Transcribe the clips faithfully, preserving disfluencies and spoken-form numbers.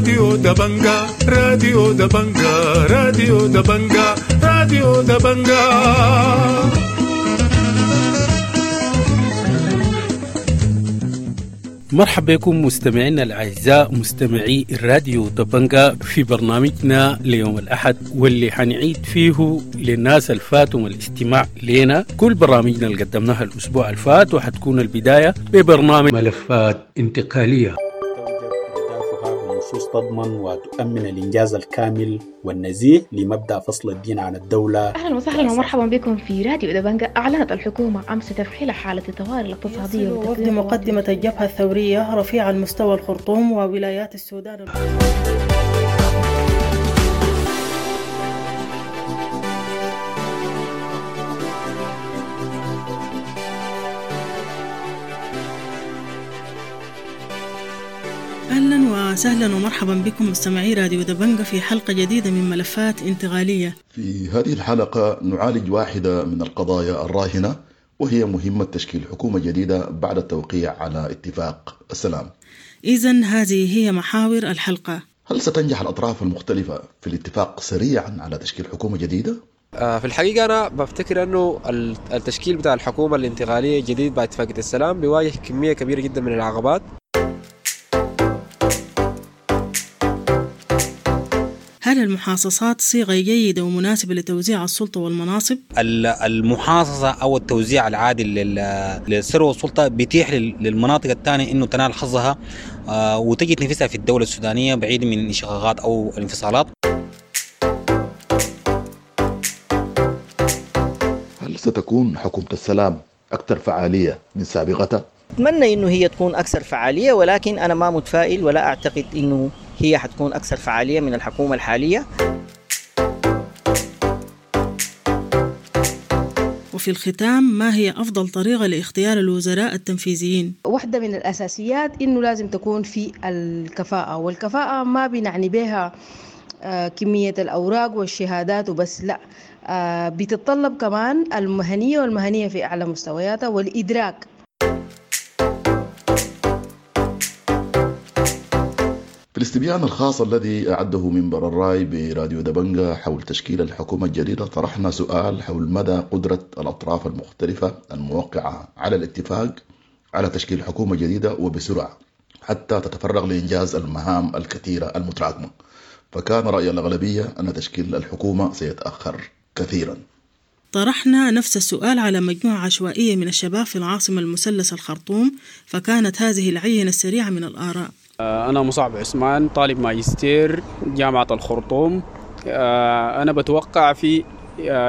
راديو دبنجا، راديو دبنجا، راديو دبنجا، راديو دبنجا. مرحبا بكم مستمعينا الأعزاء مستمعي الراديو دبنجا في برنامجنا ليوم الأحد، واللي حنعيد فيه للناس الفاتهم الاستماع لنا كل برامجنا اللي قدمناها الأسبوع الفات، وحتكون البداية ببرنامج ملفات انتقالية. بنصوص تضمن وتؤمن الإنجاز الكامل والنزيه لمبدأ فصل الدين عن الدولة. أهلا وسهلا ومرحبا بكم في راديو دبنجا. أعلنت الحكومة أمس تفعيل حالة الطوارئ الاقتصادية وفد مقدمة الجبهة الثورية رفيع المستوى الخرطوم وولايات السودان. أهلا وسهلا ومرحبا بكم مستمعي راديو دبنجا في حلقة جديدة من ملفات انتقالية. في هذه الحلقة نعالج واحدة من القضايا الراهنة، وهي مهمة تشكيل حكومة جديدة بعد التوقيع على اتفاق السلام. إذن هذه هي محاور الحلقة. هل ستنجح الأطراف المختلفة في الاتفاق سريعا على تشكيل حكومة جديدة؟ في الحقيقة أنا بفتكر أنه التشكيل بتاع الحكومة الانتقالية الجديد بعد اتفاقية السلام بيواجه كمية كبيرة جدا من العقبات. هل المحاصصات صيغة جيدة ومناسبة لتوزيع السلطة والمناصب؟ المحاصصة أو التوزيع العادل للثروة والسلطة بيتيح للمناطق الثانية إنه تنال حظها وتجد نفسها في الدولة السودانية بعيد من الانشقاقات أو الانفصالات. هل ستكون حكومة السلام أكثر فعالية من سابقتها؟ أتمنى إنه هي تكون أكثر فعالية، ولكن أنا ما متفائل ولا أعتقد إنه هي حتكون أكثر فعالية من الحكومة الحالية. وفي الختام، ما هي أفضل طريقة لاختيار الوزراء التنفيذيين؟ واحدة من الأساسيات إنه لازم تكون في الكفاءة، والكفاءة ما بنعني بها كمية الأوراق والشهادات وبس، لا، بتتطلب كمان المهنية، والمهنية في أعلى مستوياتها والإدراك. في الاستبيان الخاص الذي أعده منبر الرأي براديو دبنجا حول تشكيل الحكومة الجديدة، طرحنا سؤال حول مدى قدرة الأطراف المختلفة الموقعة على الاتفاق على تشكيل حكومة جديدة وبسرعة حتى تتفرغ لإنجاز المهام الكثيرة المتراكمة. فكان رأي الأغلبية أن تشكيل الحكومة سيتأخر كثيرا. طرحنا نفس السؤال على مجموعة عشوائية من الشباب في العاصمة المثلث الخرطوم، فكانت هذه العينة السريعة من الآراء. أنا مصعب عثمان، طالب ماجستير جامعة الخرطوم. أنا بتوقع في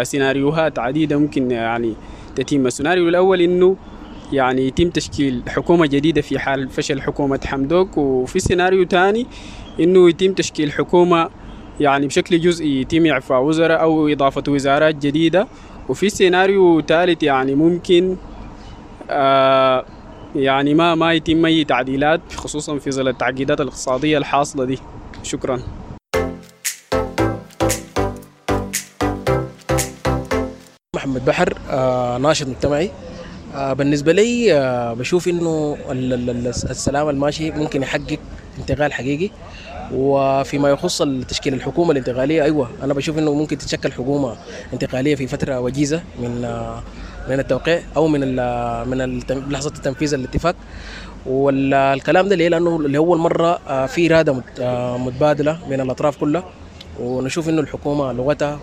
سيناريوهات عديدة ممكن يعني تتم. السيناريو الأول إنه يعني يتم تشكيل حكومة جديدة في حال فشل حكومة حمدوك، وفي سيناريو ثاني إنه يتم تشكيل حكومة يعني بشكل جزئي، يتم إعفاء وزراء أو إضافة وزارات جديدة، وفي سيناريو ثالث يعني ممكن آه يعني ما ما يتم أي تعديلات، خصوصا في ظل التعقيدات الاقتصادية الحاصلة دي. شكرا. محمد بحر، آه ناشط مجتمعي. آه بالنسبة لي آه بشوف إنه السلام الماشي ممكن يحقق انتقال حقيقي. وفيما يخص تشكيل الحكومة الانتقالية، أيوة أنا بشوف إنه ممكن تتشكل حكومة انتقالية في فترة وجيزة من آه من التوقيع او من ال من لحظة تنفيذ الاتفاق. والكلام ده ليه؟ لانه لاول مرة في اراده متبادلة من الاطراف كلها، ونشوف انه الحكومة لغتها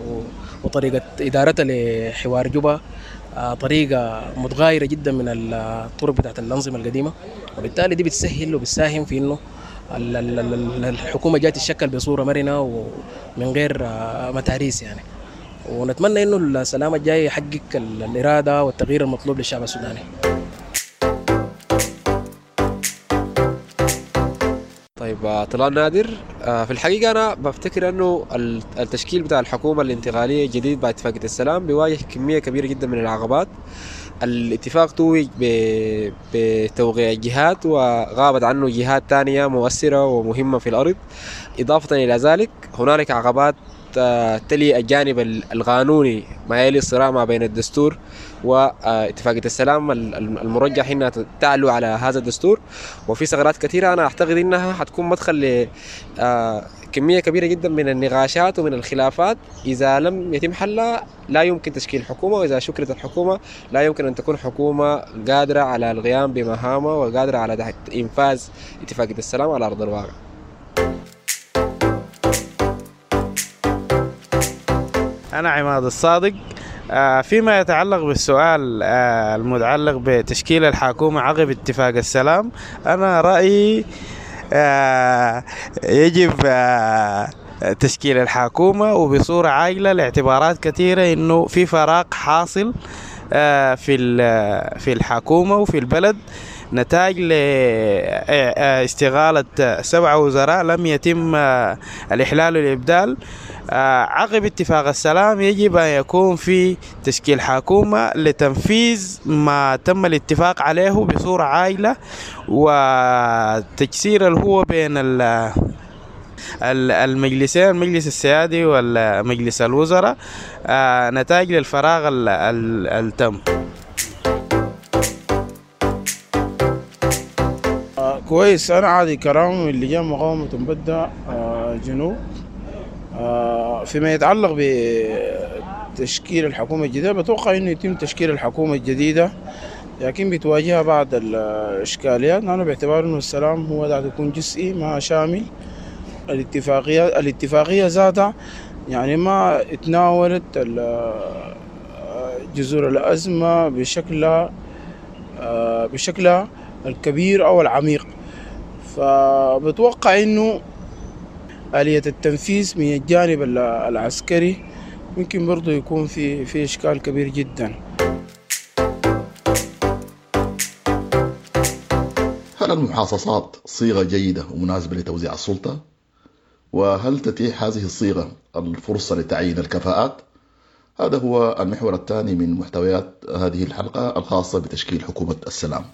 وطريقه ادارتها لحوار جوبا طريقه متغايره جدا من الطرق بتاعت الانظمة القديمة، وبالتالي دي بتسهل وبتساهم في انه الحكومة جاية تتشكل بصورة مرنه ومن غير متاريس يعني. ونتمنى انه السلام الجاي يحقق الارادة والتغيير المطلوب للشعب السوداني. طيب، طلال نادر. في الحقيقة أنا بفتكر أنه التشكيل بتاع الحكومة الانتقالية الجديد بعد اتفاقية السلام بيواجه كمية كبيرة جدا من العقبات. الاتفاق توج بتوقيع جهات وغابت عنه جهات تانية مؤثرة ومهمة في الأرض. إضافة إلى ذلك هنالك عقبات تلي الجانب القانوني ما يلي الصراع ما بين الدستور واتفاقية السلام المرجح انها تعلو على هذا الدستور. وفي ثغرات كثيرة انا اعتقد انها حتكون مدخل لكمية كبيرة جدا من النقاشات ومن الخلافات. اذا لم يتم حلها لا يمكن تشكيل حكومة، واذا شكلت الحكومة لا يمكن ان تكون حكومة قادرة على القيام بمهامها وقادرة على انفاذ اتفاقية السلام على ارض الواقع. أنا عماد الصادق. فيما يتعلق بالسؤال المتعلق بتشكيل الحكومة عقب اتفاق السلام، أنا رأيي يجب تشكيل الحكومة وبصورة عاجلة لاعتبارات كثيرة، إنه في فراغ حاصل في في الحكومة وفي البلد نتاج لاستغالة سبع وزراء لم يتم الإحلال والإبدال. عقب اتفاق السلام يجب أن يكون في تشكيل حكومة لتنفيذ ما تم الاتفاق عليه بصورة عاجلة، وتجسير الهوة بين المجلسين، المجلس السيادي والمجلس الوزراء، نتاج للفراغ التم. كويس. أنا عادي كرام من لجان مقاومة مبدأ جنوب. فيما يتعلق بتشكيل الحكومة الجديدة، بتوقع أنه يتم تشكيل الحكومة الجديدة، لكن بتواجهها بعض الإشكاليات، لأنه باعتبار أنه السلام هو ده يكون جزئي ما شامل. الاتفاقية الاتفاقية ذاتها يعني ما اتناولت جذور الأزمة بشكلها بشكلها الكبير أو العميق، فبتوقع أنه آلية التنفيذ من الجانب العسكري ممكن برضو يكون في في إشكال كبير جدا. هل المحاصصات صيغة جيدة ومناسبة لتوزيع السلطة؟ وهل تتيح هذه الصيغة الفرصة لتعيين الكفاءات؟ هذا هو المحور الثاني من محتويات هذه الحلقة الخاصة بتشكيل حكومة السلام.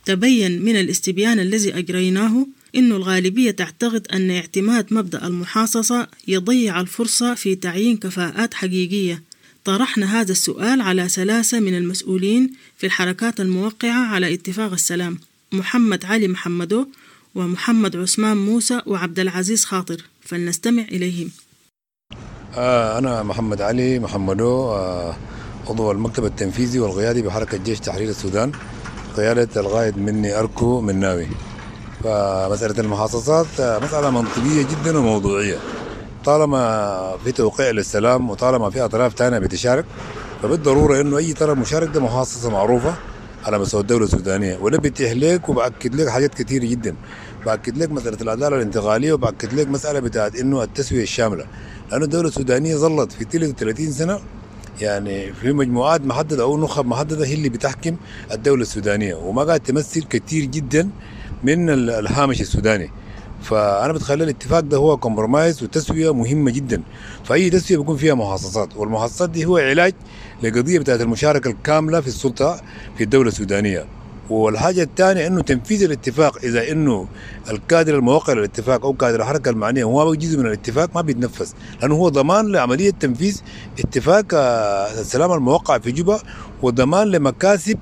تبين من الاستبيان الذي أجريناه أن الغالبية تعتقد أن اعتماد مبدأ المحاصصة يضيع الفرصة في تعيين كفاءات حقيقية. طرحنا هذا السؤال على ثلاثة من المسؤولين في الحركات الموقعة على اتفاق السلام: محمد علي محمدو، ومحمد عثمان موسى، وعبد العزيز خاطر، فلنستمع إليهم. آه أنا محمد علي محمدو، آه عضو المكتب التنفيذي والقيادي بحركة جيش تحرير السودان، قيادة القائد مني أركو مناوي. فمسألة المحاصصات مسألة منطقية جدا وموضوعية، طالما في توقيع للسلام وطالما في أطراف تانية بتشارك، فبالضرورة إنه أي طرف مشارك ده محاصصة معروفة على مستوى الدولة السودانية، ولا بيتيح لك وبأكد لك حاجات كثيرة جدا. بأكد لك مسألة العدالة الانتقالية، وبأكد لك مسألة بتاعت إنه التسوية الشاملة، لأنه الدولة السودانية ظلت في ثلاثة وثلاثين سنة يعني في مجموعات محددة أو نخب محددة هي اللي بتحكم الدولة السودانية، وما قاعد تمثل كثير جدا من الهامش السوداني. فأنا بتخيل الاتفاق ده هو compromise وتسوية مهمة جدا، فأي تسوية بيكون فيها محاصصات، والمحاصصات دي هو علاج لقضية بتاعت المشاركة الكاملة في السلطة في الدولة السودانية. والحاجة الثانية أنه تنفيذ الاتفاق، إذا أنه الكادر الموقع للاتفاق أو كادر الحركة المعنية هو جزء من الاتفاق ما بيتنفذ، لأنه هو ضمان لعملية تنفيذ اتفاق السلام الموقع في جوبا، وضمان لمكاسب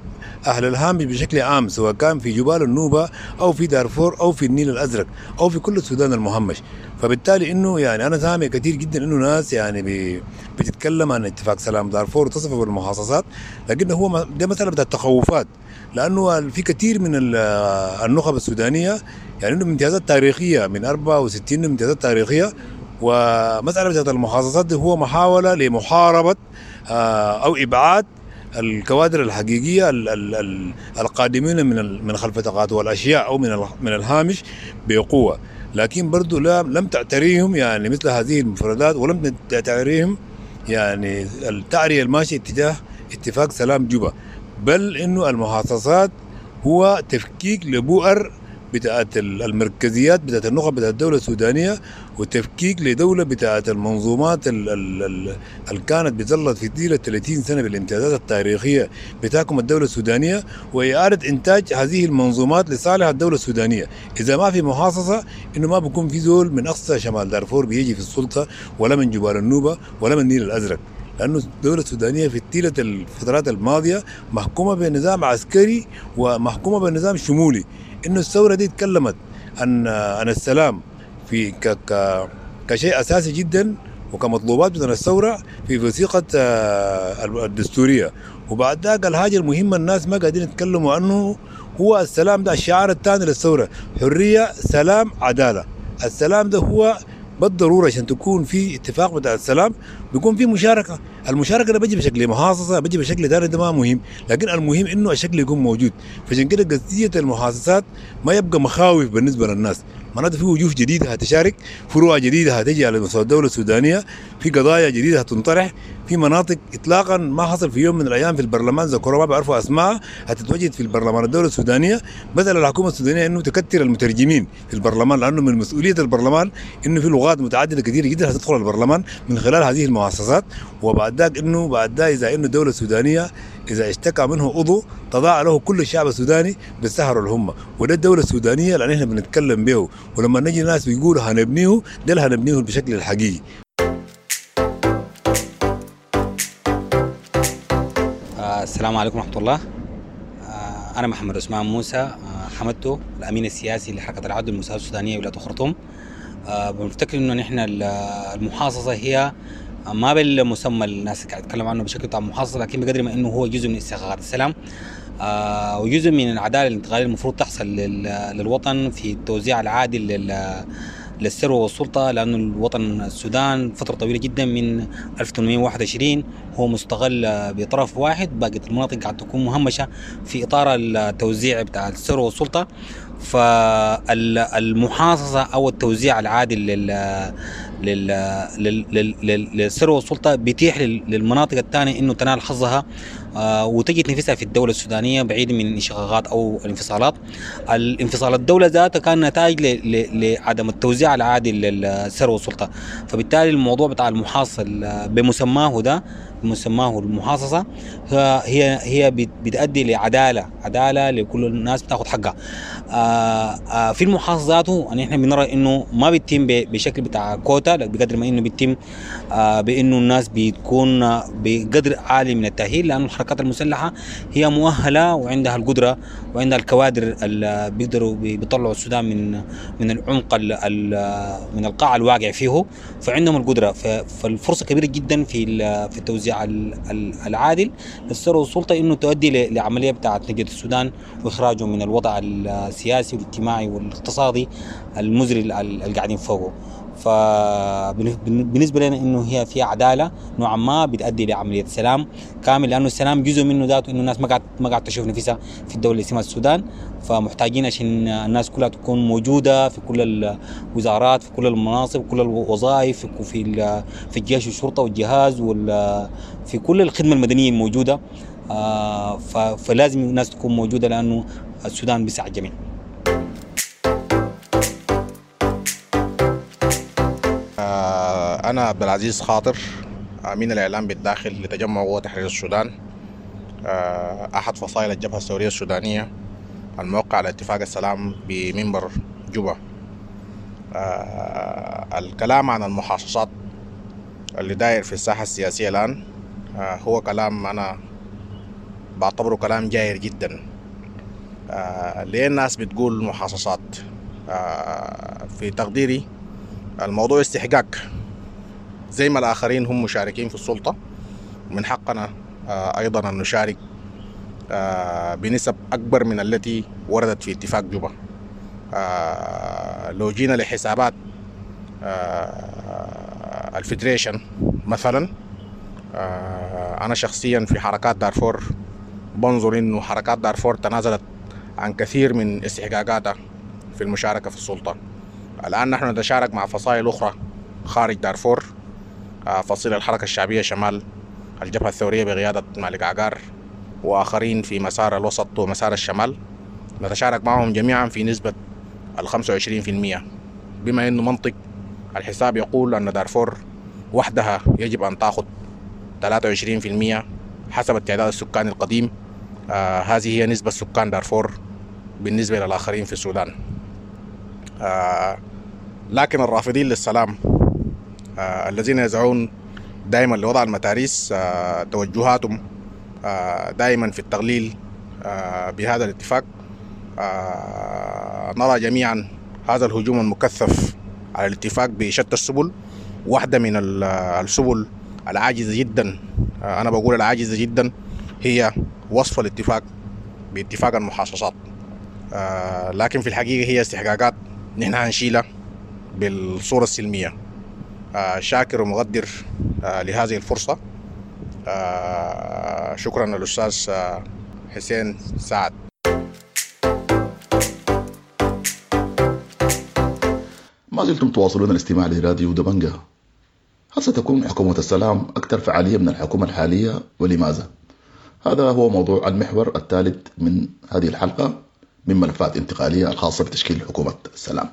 أهل الهامش بشكل عام، سواء كان في جبال النوبة أو في دارفور أو في النيل الأزرق أو في كل السودان المهمش. فبالتالي إنه يعني أنا سامع كثير جدا إنه ناس يعني بي بتتكلم عن اتفاق سلام دارفور وتصفه بالمحاصصات، لكن هو ده مسألة بتاع التخوفات، لأنه في كثير من النخب السودانية يعني إنه امتيازات تاريخية من أربعة وستين امتيازات تاريخية، ومسألة بتاعت المحاصصات دي هو محاولة لمحاربة أو إبعاد الكوادر الحقيقية القادمين من من خلف تقاطع الأشياء أو من من الهامش بقوة، لكن برضو لم تعتريهم يعني مثل هذه المفردات، ولم تعتريهم يعني التعرية الماشية اتجاه اتفاق سلام جوبا، بل إنه المحاصصات هو تفكيك لبؤر بتاعت المركزيات بتاعت النخب بتاعت الدولة السودانية، وتفكيك لدولة بتاعت المنظومات اللي كانت بتظلت في طيلة ثلاثين سنة بالامتيازات التاريخية بتاعكم الدولة السودانية، وإعادة إنتاج هذه المنظومات لصالح الدولة السودانية. إذا ما في محاصصة إنه ما بيكون في زول من أقصى شمال دارفور بيجي في السلطة، ولا من جبال النوبة، ولا من النيل الأزرق، لأنه الدولة السودانية في طيلة الفترات الماضية محكومة بنظام عسكري ومحكومة بنظام شمولي. إنه الثورة دي تكلمت عن عن السلام في ك ك كشيء أساسي جدا وكمطلوبات من الثورة في وثيقة الدستورية. وبعد ذاك الحاجة المهمة الناس ما قاعدين يتكلموا عنه هو السلام ده، الشعار الثاني للثورة، حرية سلام عدالة. السلام ده هو بالضرورة عشان تكون في اتفاق بتاع السلام بيكون في مشاركة. المشاركة ده بيجي بشكل محاصصة، بيجي بشكل ثاني، ده ما مهم، لكن المهم انه الشكل يكون موجود. فعشان كده قضية المحاصصات ما يبقى مخاوف بالنسبة للناس، معناته في وجوه جديدة هتشارك، فروع جديدة هتجي على مستوى الدولة السودانية، في قضايا جديدة هتنطرح، في مناطق اطلاقا ما حصل في يوم من الايام في البرلمان ذكروا ما بيعرفوا اسماء هتتوجد في البرلمان الدولة السودانية. بدل الحكومة السودانية انه تكتر المترجمين في البرلمان، لانه من مسؤولية البرلمان انه في لغات متعددة كثيرة جدا هتدخل البرلمان من خلال هذه المؤسسات. وبعد ذاك انه بعد ذا اذا انه الدولة السودانية اذا اشتكى منه عضو تضاع له كل الشعب السوداني بالسهر والهمه، وده الدولة السودانية اللي احنا بنتكلم به. ولما نجي ناس بيقولوا هنبنيه، ده اللي هنبنيه بشكل الحقيقي. السلام عليكم ورحمة الله. أنا محمد عثمان موسى حمدته، الأمين السياسي لحركة العدل والمساواة السودانية ولاية الخرطوم. بنفتكر إنه نحن المحاصصة هي ما بالمسمى الناس قاعد تتكلم عنه بشكل بتاع محاصصة، لكن بقدر ما إنه هو جزء من استحقاقات السلام وجزء من العدالة الانتقالية المفروض تحصل للوطن في التوزيع العادل لل للثروة والسلطة، لأنه الوطن السودان فترة طويلة جدا من ألف وثمانمائة وواحد وعشرين هو مستغل بطرف واحد، باقي المناطق قاعد تكون مهمشة في إطار التوزيع بتاع الثروة والسلطة. فالمحاصصة أو التوزيع العادل لل لل لل للثروة والسلطة بيتيح للمناطق الثانية إنه تنال حظها وتجد نفسها في الدولة السودانية بعيد من انشقاقات أو الانفصالات. الانفصال الدولة ذاتها كان نتائج لعدم التوزيع العادل للثروة والسلطة، فبالتالي الموضوع بتاع المحاصصة بمسماه ده بمسماه المحاصصة هي هي بتؤدي لعدالة، عدالة لكل الناس بتاخذ حقها. في المحاصصة ذاته يعني احنا بنرى انه ما بيتم بشكل بتاع كوتا، بقدر ما انه بيتم بانه الناس بتكون بقدر عالي من التأهيل، لانه الحركات المسلحة هي مؤهلة وعندها القدرة وعندها الكوادر اللي بيقدروا بيطلعوا السودان من من العمق من القاع الواقع فيه، فعندهم القدرة. فالفرصة كبيرة جدا في في التوزيع العادل للثروة والسلطة انه تؤدي لعملية بتاعت نجدة السودان واخراجه من الوضع السياسي والاجتماعي والاقتصادي المزري اللي قاعدين فوقه. فبالنسبة لنا انه هي فيها عدالة نوعا ما بتؤدي لعملية سلام كامل، لانه السلام جزء منه ذاته انه الناس ما قاعد ما قاعد تشوف نفسها في الدولة اللي اسمها السودان، فمحتاجين عشان الناس كلها تكون موجودة في كل الوزارات، في كل المناصب، كل الوظائف، في في الجيش والشرطة والجهاز وال في كل الخدمة المدنية الموجودة. فلازم الناس تكون موجودة لانه السودان بيسع الجميع. أنا عبد العزيز خاطر، أمين الإعلام بالداخل لتجمع قوى تحرير السودان، أحد فصائل الجبهة الثورية السودانية الموقع على اتفاق السلام بمنبر جوبا. الكلام عن المحاصصات اللي داير في الساحة السياسية الآن هو كلام أنا بعتبره كلام جاير جدا. ليه الناس بتقول محاصصات؟ في تقديري الموضوع استحقاق، زي ما الآخرين هم مشاركين في السلطة من حقنا أيضا أن نشارك بنسب أكبر من التي وردت في اتفاق جوبا. لو جينا لحسابات ال federation مثلا، أنا شخصيا في حركات دارفور بنظر إنه حركات دارفور تنازلت عن كثير من استحقاقاتها في المشاركة في السلطة. الآن نحن نتشارك مع فصائل أخرى خارج دارفور، فصيل الحركة الشعبية شمال، الجبهة الثورية بقيادة مالك عقار، وآخرين في مسار الوسط ومسار الشمال، نتشارك معهم جميعا في نسبة ال خمسة وعشرين في المية، بما أنه منطق الحساب يقول أن دارفور وحدها يجب أن تأخذ ثلاثة وعشرين في المية حسب التعداد السكاني القديم. آه هذه هي نسبة سكان دارفور بالنسبة للآخرين في السودان. آه لكن الرافضين للسلام آه الذين يسعون دائما لوضع المتاريس آه توجهاتهم آه دائما في التغليل آه بهذا الاتفاق. آه نرى جميعا هذا الهجوم المكثف على الاتفاق بشتى السبل. واحدة من السبل العاجزة جدا، آه أنا بقول العاجزة جدا، هي وصف الاتفاق باتفاق المحاصصات، آه لكن في الحقيقة هي استحقاقات نحن هنشيلها بالصورة السلمية. آه شاكر ومقدر آه لهذه الفرصة. آه شكرا للأستاذ آه حسين سعد. ما زلتم تواصلون الاستماع لراديو دبنجة. هل ستكون حكومة السلام أكثر فعالية من الحكومة الحالية ولماذا؟ هذا هو موضوع المحور الثالث من هذه الحلقة من ملفات انتقالية الخاصة بتشكيل حكومة السلام.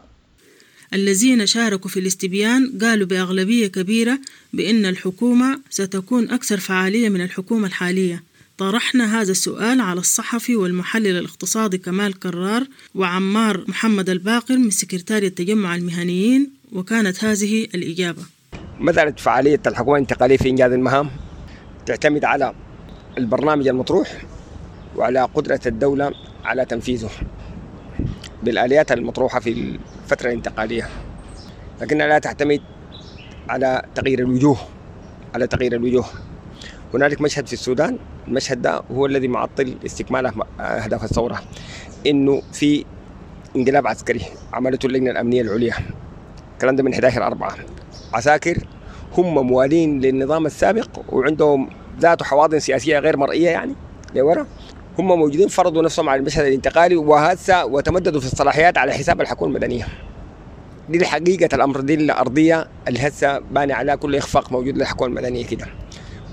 الذين شاركوا في الاستبيان قالوا بأغلبية كبيرة بأن الحكومة ستكون أكثر فعالية من الحكومة الحالية. طرحنا هذا السؤال على الصحفي والمحلل الاقتصادي كمال كرار وعمار محمد الباقر من سكرتارية التجمع المهنيين، وكانت هذه الإجابة. مسألة فعالية الحكومة الانتقالية في إنجاز المهام تعتمد على البرنامج المطروح وعلى قدرة الدولة على تنفيذه بالآليات المطروحة في الفترة الانتقالية، لكنها لا تعتمد على تغيير الوجوه. على تغيير الوجوه هنالك مشهد في السودان، المشهد ده هو الذي معطل استكمال أهداف الثورة، إنه في انقلاب عسكري عملته اللجنة الأمنية العليا، الكلام ده من أحد عشر أربعة، عساكر هم موالين للنظام السابق وعندهم ذات حواضن سياسية غير مرئية يعني لورا، هم موجودين فرضوا نفسهم على المشهد الانتقالي وهسه وتمددوا في الصلاحيات على حساب الحكومة المدنية. دي حقيقة الأمر، دي الأرضية اللي هسه باني على كل إخفاق موجود للحكومة المدنية كده.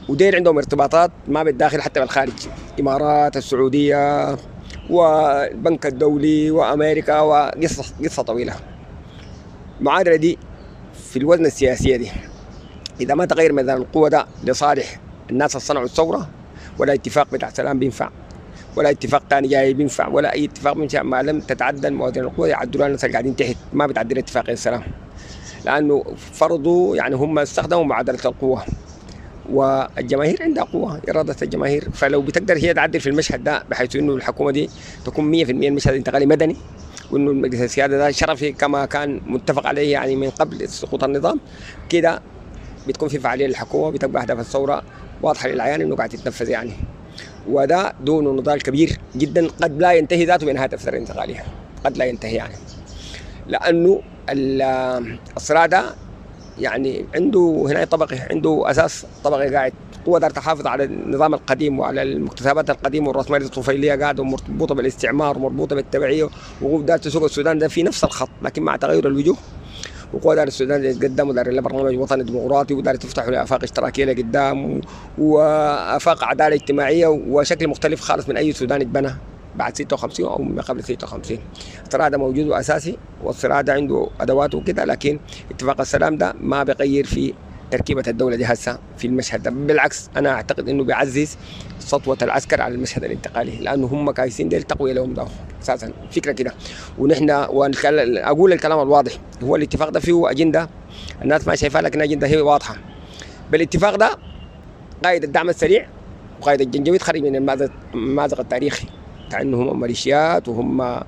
وديل عندهم ارتباطات ما بالداخل حتى بالخارج، إمارات، السعودية، والبنك الدولي، وأمريكا، وقصة قصة طويلة. المعادلة دي في الوزن السياسية دي إذا ما تغير ميزان القوة ده لصالح الناس اللي صنعوا الثورة، ولا اتفاق بتاع سلام بينفع، ولا اتفاق ثاني جاي بينفع، ولا أي اتفاق بينفع ما لم تتعدل موازين القوة. يعدلوها الناس اللي قاعدين تحت، ما بتعدل اتفاقية السلام، لأنه فرضوا يعني هم استخدموا معادلة القوة، والجماهير عندها قوة، إرادة الجماهير. فلو بتقدر هي تعدل في المشهد ده بحيث إنه الحكومة دي تكون مية في المية المشهد الانتقالي مدني، وإنه المجلس السيادة ده شرفي كما كان متفق عليه يعني من قبل سقوط النظام كده، بتكون في فعالية للحكومة، بتبقى أهداف الثورة واضحة للعيان إنه قاعد تتنفذ يعني. وده دون نضال كبير جدا قد لا ينتهي ذاته بنهاية الفترة الانتقالية، قد لا ينتهي يعني، لأنه الصراع ده يعني عنده هنا طبقي، عنده أساس طبقي قاعد، قوة دار تحافظ على النظام القديم وعلى المكتسبات القديمة والرأسمالية الطفيلية قاعدة ومربوطة بالاستعمار ومربوطة بالتبعية، وقوة دار تسوق السودان ده في نفس الخط لكن مع تغير الوجوه. وقوة دار السودان يتقدم ودار لها برنامج وطني ديمقراطي ودار تفتح لآفاق اشتراكية لقدام وآفاق عدالة اجتماعية وشكل مختلف خالص من أي سودان اتبنى بعد ستة وخمسين أو ما قبل ستة وخمسين. الصراع ده موجود وأساسي، والصراع ده عنده أدواته وكده، لكن اتفاق السلام ده ما بيغير في تركيبة الدولة دي هسه في المشهد ده. بالعكس أنا أعتقد إنه بيعزز سطوة العسكر على المشهد الانتقالي، لأنه هم كايسين ديل تقوية لهم ده أساسا فكرة كده. ونحن أقول الكلام الواضح، هو الاتفاق ده فيه أجندة الناس ما شايفها، لكن أجندة هي واضحة. بالاتفاق ده قائد الدعم السريع وقائد الجنجويد خرج من المازق التاريخي بتاع إنه هم ميليشيات وهم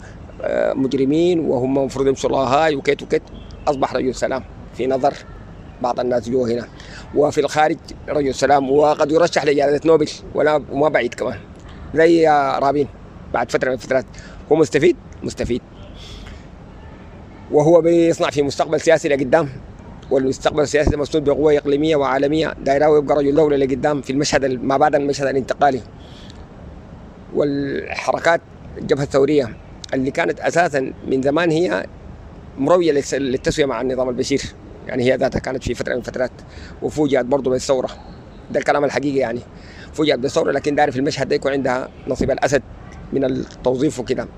مجرمين وهم المفروض يمشوا لاهاي وكيت وكيت، أصبح رجل سلام في نظر بعض الناس جوا هنا، وفي الخارج رجل سلام، وقد يرشح لجائزة نوبل ولا وما بعيد كمان زي رابين بعد فترة من الفترات. هو مستفيد مستفيد، وهو بيصنع في مستقبل سياسي لقدام، والمستقبل السياسي ده مسنود بقوة إقليمية وعالمية دايراوي، يبقى رجل دولة لقدام في المشهد ما بعد المشهد الانتقالي. والحركات الجبهة الثورية اللي كانت أساسا من زمان هي مروية للتسوية مع النظام البشير، يعني هي ذاتها كانت في فترة من الفترات وفوجئت برضه بالثورة، ده الكلام الحقيقي يعني، فوجئت بالثورة، لكن داري في المشهد ده يكون عندها نصيب الأسد من التوظيف وكده.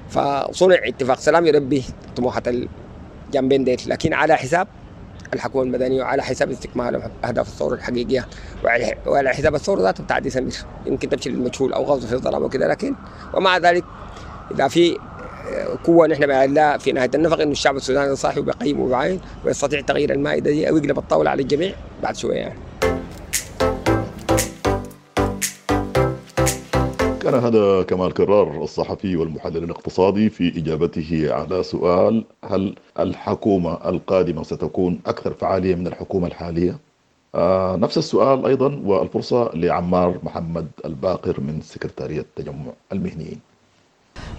فصنع اتفاق سلام يربي طموحات الجنبين ديل، لكن على حساب الحكومة المدنية وعلى حساب استكمال أهداف الثورة الحقيقية وعلى حساب الثورة ذاتها بتاع ديسمبر، يمكن تمشي للمجهول أو غوص في الظلام وكذا. لكن ومع ذلك إذا في قوة نحن بنلاقي في نهاية النفق إنه الشعب السوداني صاحي وبيقيم وبيعاين ويستطيع تغيير المائدة دي أو يقلب الطاولة على الجميع بعد شوية يعني. كان هذا كمال كرار الصحفي والمحلل الاقتصادي في إجابته على سؤال هل الحكومة القادمة ستكون أكثر فعالية من الحكومة الحالية؟ آه نفس السؤال أيضا والفرصة لعمار محمد الباقر من سكرتارية تجمع المهنيين.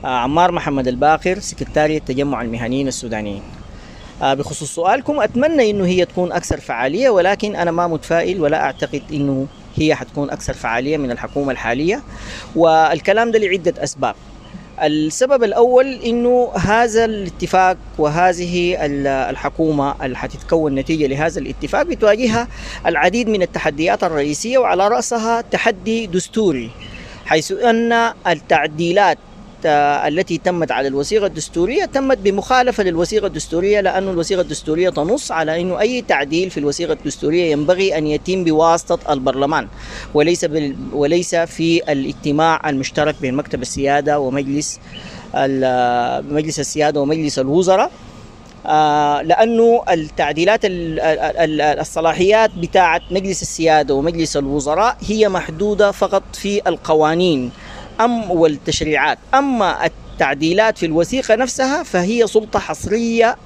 عمار محمد الباقر، سكرتارية تجمع المهنيين السودانيين. بخصوص سؤالكم، أتمنى أنه هي تكون أكثر فعالية، ولكن أنا ما متفائل ولا أعتقد أنه هي حتكون أكثر فعالية من الحكومة الحالية، والكلام ده لعدة أسباب. السبب الأول أنه هذا الاتفاق وهذه الحكومة اللي حتتكون نتيجة لهذا الاتفاق بتواجهها العديد من التحديات الرئيسية، وعلى رأسها تحدي دستوري، حيث أن التعديلات التي تمت على الوثيقة الدستورية تمت بمخالفة للوثيقة الدستورية، لأن الوثيقة الدستورية تنص على أنه أي تعديل في الوثيقة الدستورية ينبغي أن يتم بواسطة البرلمان وليس بال... وليس في الاجتماع المشترك بين مكتب السيادة ومجلس مجلس السيادة ومجلس الوزراء، لأنه التعديلات الصلاحيات بتاعة مجلس السيادة ومجلس الوزراء هي محدودة فقط في القوانين أم والتشريعات، أما التعديلات في الوثيقة نفسها فهي سلطة حصرية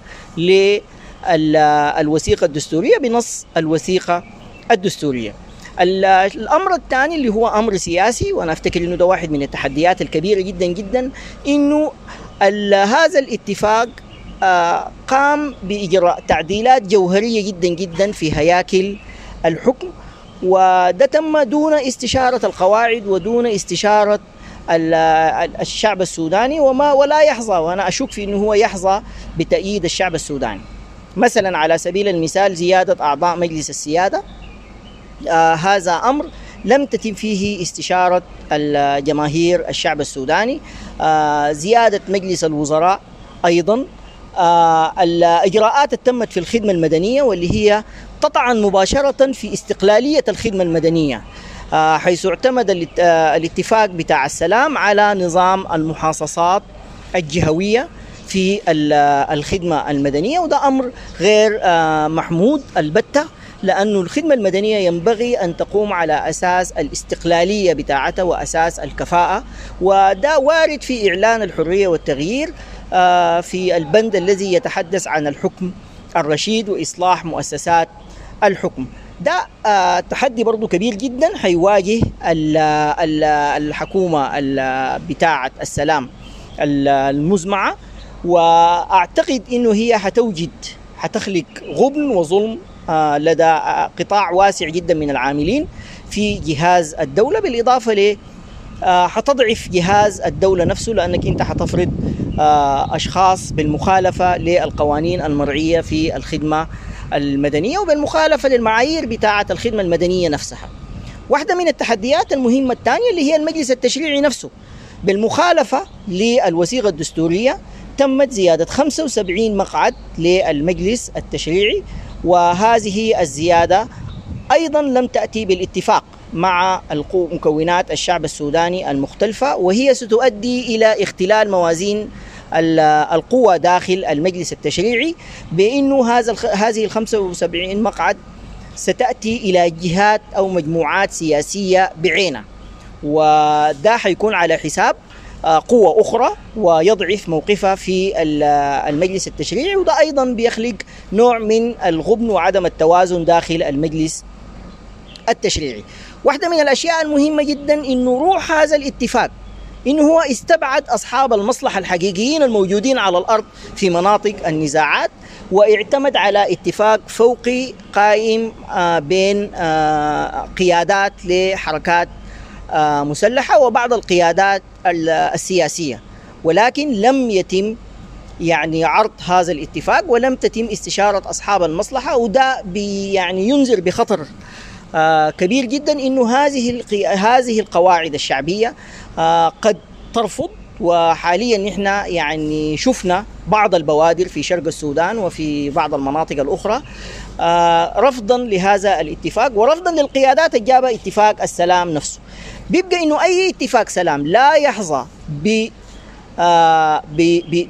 للوثيقة الدستورية بنص الوثيقة الدستورية. الأمر الثاني اللي هو أمر سياسي، وأنا أفتكر أنه ده واحد من التحديات الكبيرة جدا جدا، أنه هذا الاتفاق قام بإجراء تعديلات جوهرية جدا جدا في هياكل الحكم، وده تم دون استشارة القواعد ودون استشارة الشعب السوداني، وما ولا يحظى، وأنا أشك في أنه هو يحظى بتأييد الشعب السوداني. مثلا على سبيل المثال زيادة أعضاء مجلس السيادة، آه هذا أمر لم تتم فيه استشارة الجماهير الشعب السوداني. آه زيادة مجلس الوزراء أيضا، آه الإجراءات التمت في الخدمة المدنية واللي هي تطعن مباشرة في استقلالية الخدمة المدنية، آه حيث اعتمد الاتفاق بتاع السلام على نظام المحاصصات الجهوية في الخدمة المدنية، وده أمر غير آه محمود البتة، لأن الخدمة المدنية ينبغي أن تقوم على أساس الاستقلالية بتاعتها وأساس الكفاءة، وده وارد في إعلان الحرية والتغيير آه في البند الذي يتحدث عن الحكم الرشيد وإصلاح مؤسسات الحكم. ده آه تحدي برضو كبير جدا حيواجه الحكومة بتاعة السلام المزمعة، وأعتقد إنه هي حتوجد حتخلق غبن وظلم آه لدى قطاع واسع جدا من العاملين في جهاز الدولة، بالإضافة ل آه حتضعف جهاز الدولة نفسه، لأنك أنت حتفرض آه أشخاص بالمخالفة للقوانين المرعية في الخدمة المدنية وبالمخالفة للمعايير بتاعة الخدمة المدنية نفسها. واحدة من التحديات المهمة الثانية اللي هي المجلس التشريعي نفسه، بالمخالفة للوثيقة الدستورية تمت زيادة خمسة وسبعين مقعد للمجلس التشريعي، وهذه الزيادة أيضا لم تأتي بالاتفاق مع مكونات الشعب السوداني المختلفة، وهي ستؤدي إلى اختلال موازين القوى داخل المجلس التشريعي، بأنه هذا هذه ال خمسة وسبعين مقعد ستأتي إلى جهات أو مجموعات سياسية بعينها، وده حيكون على حساب قوة أخرى ويضعف موقفها في المجلس التشريعي، وده أيضا بيخلق نوع من الغبن وعدم التوازن داخل المجلس التشريعي. واحدة من الأشياء المهمة جدا إنه روح هذا الاتفاق إنه هو استبعد أصحاب المصلحة الحقيقيين الموجودين على الأرض في مناطق النزاعات، واعتمد على اتفاق فوقي قائم بين قيادات لحركات مسلحة وبعض القيادات السياسية، ولكن لم يتم يعني عرض هذا الاتفاق ولم تتم استشارة أصحاب المصلحة، وده يعني ينذر بخطر كبير جدا إنه هذه هذه القواعد الشعبية قد ترفض وحاليا نحن يعني شفنا بعض البوادر في شرق السودان وفي بعض المناطق الأخرى رفضا لهذا الاتفاق ورفضا للقيادات الجابة اتفاق السلام نفسه. بيبقى إنه أي اتفاق سلام لا يحظى ب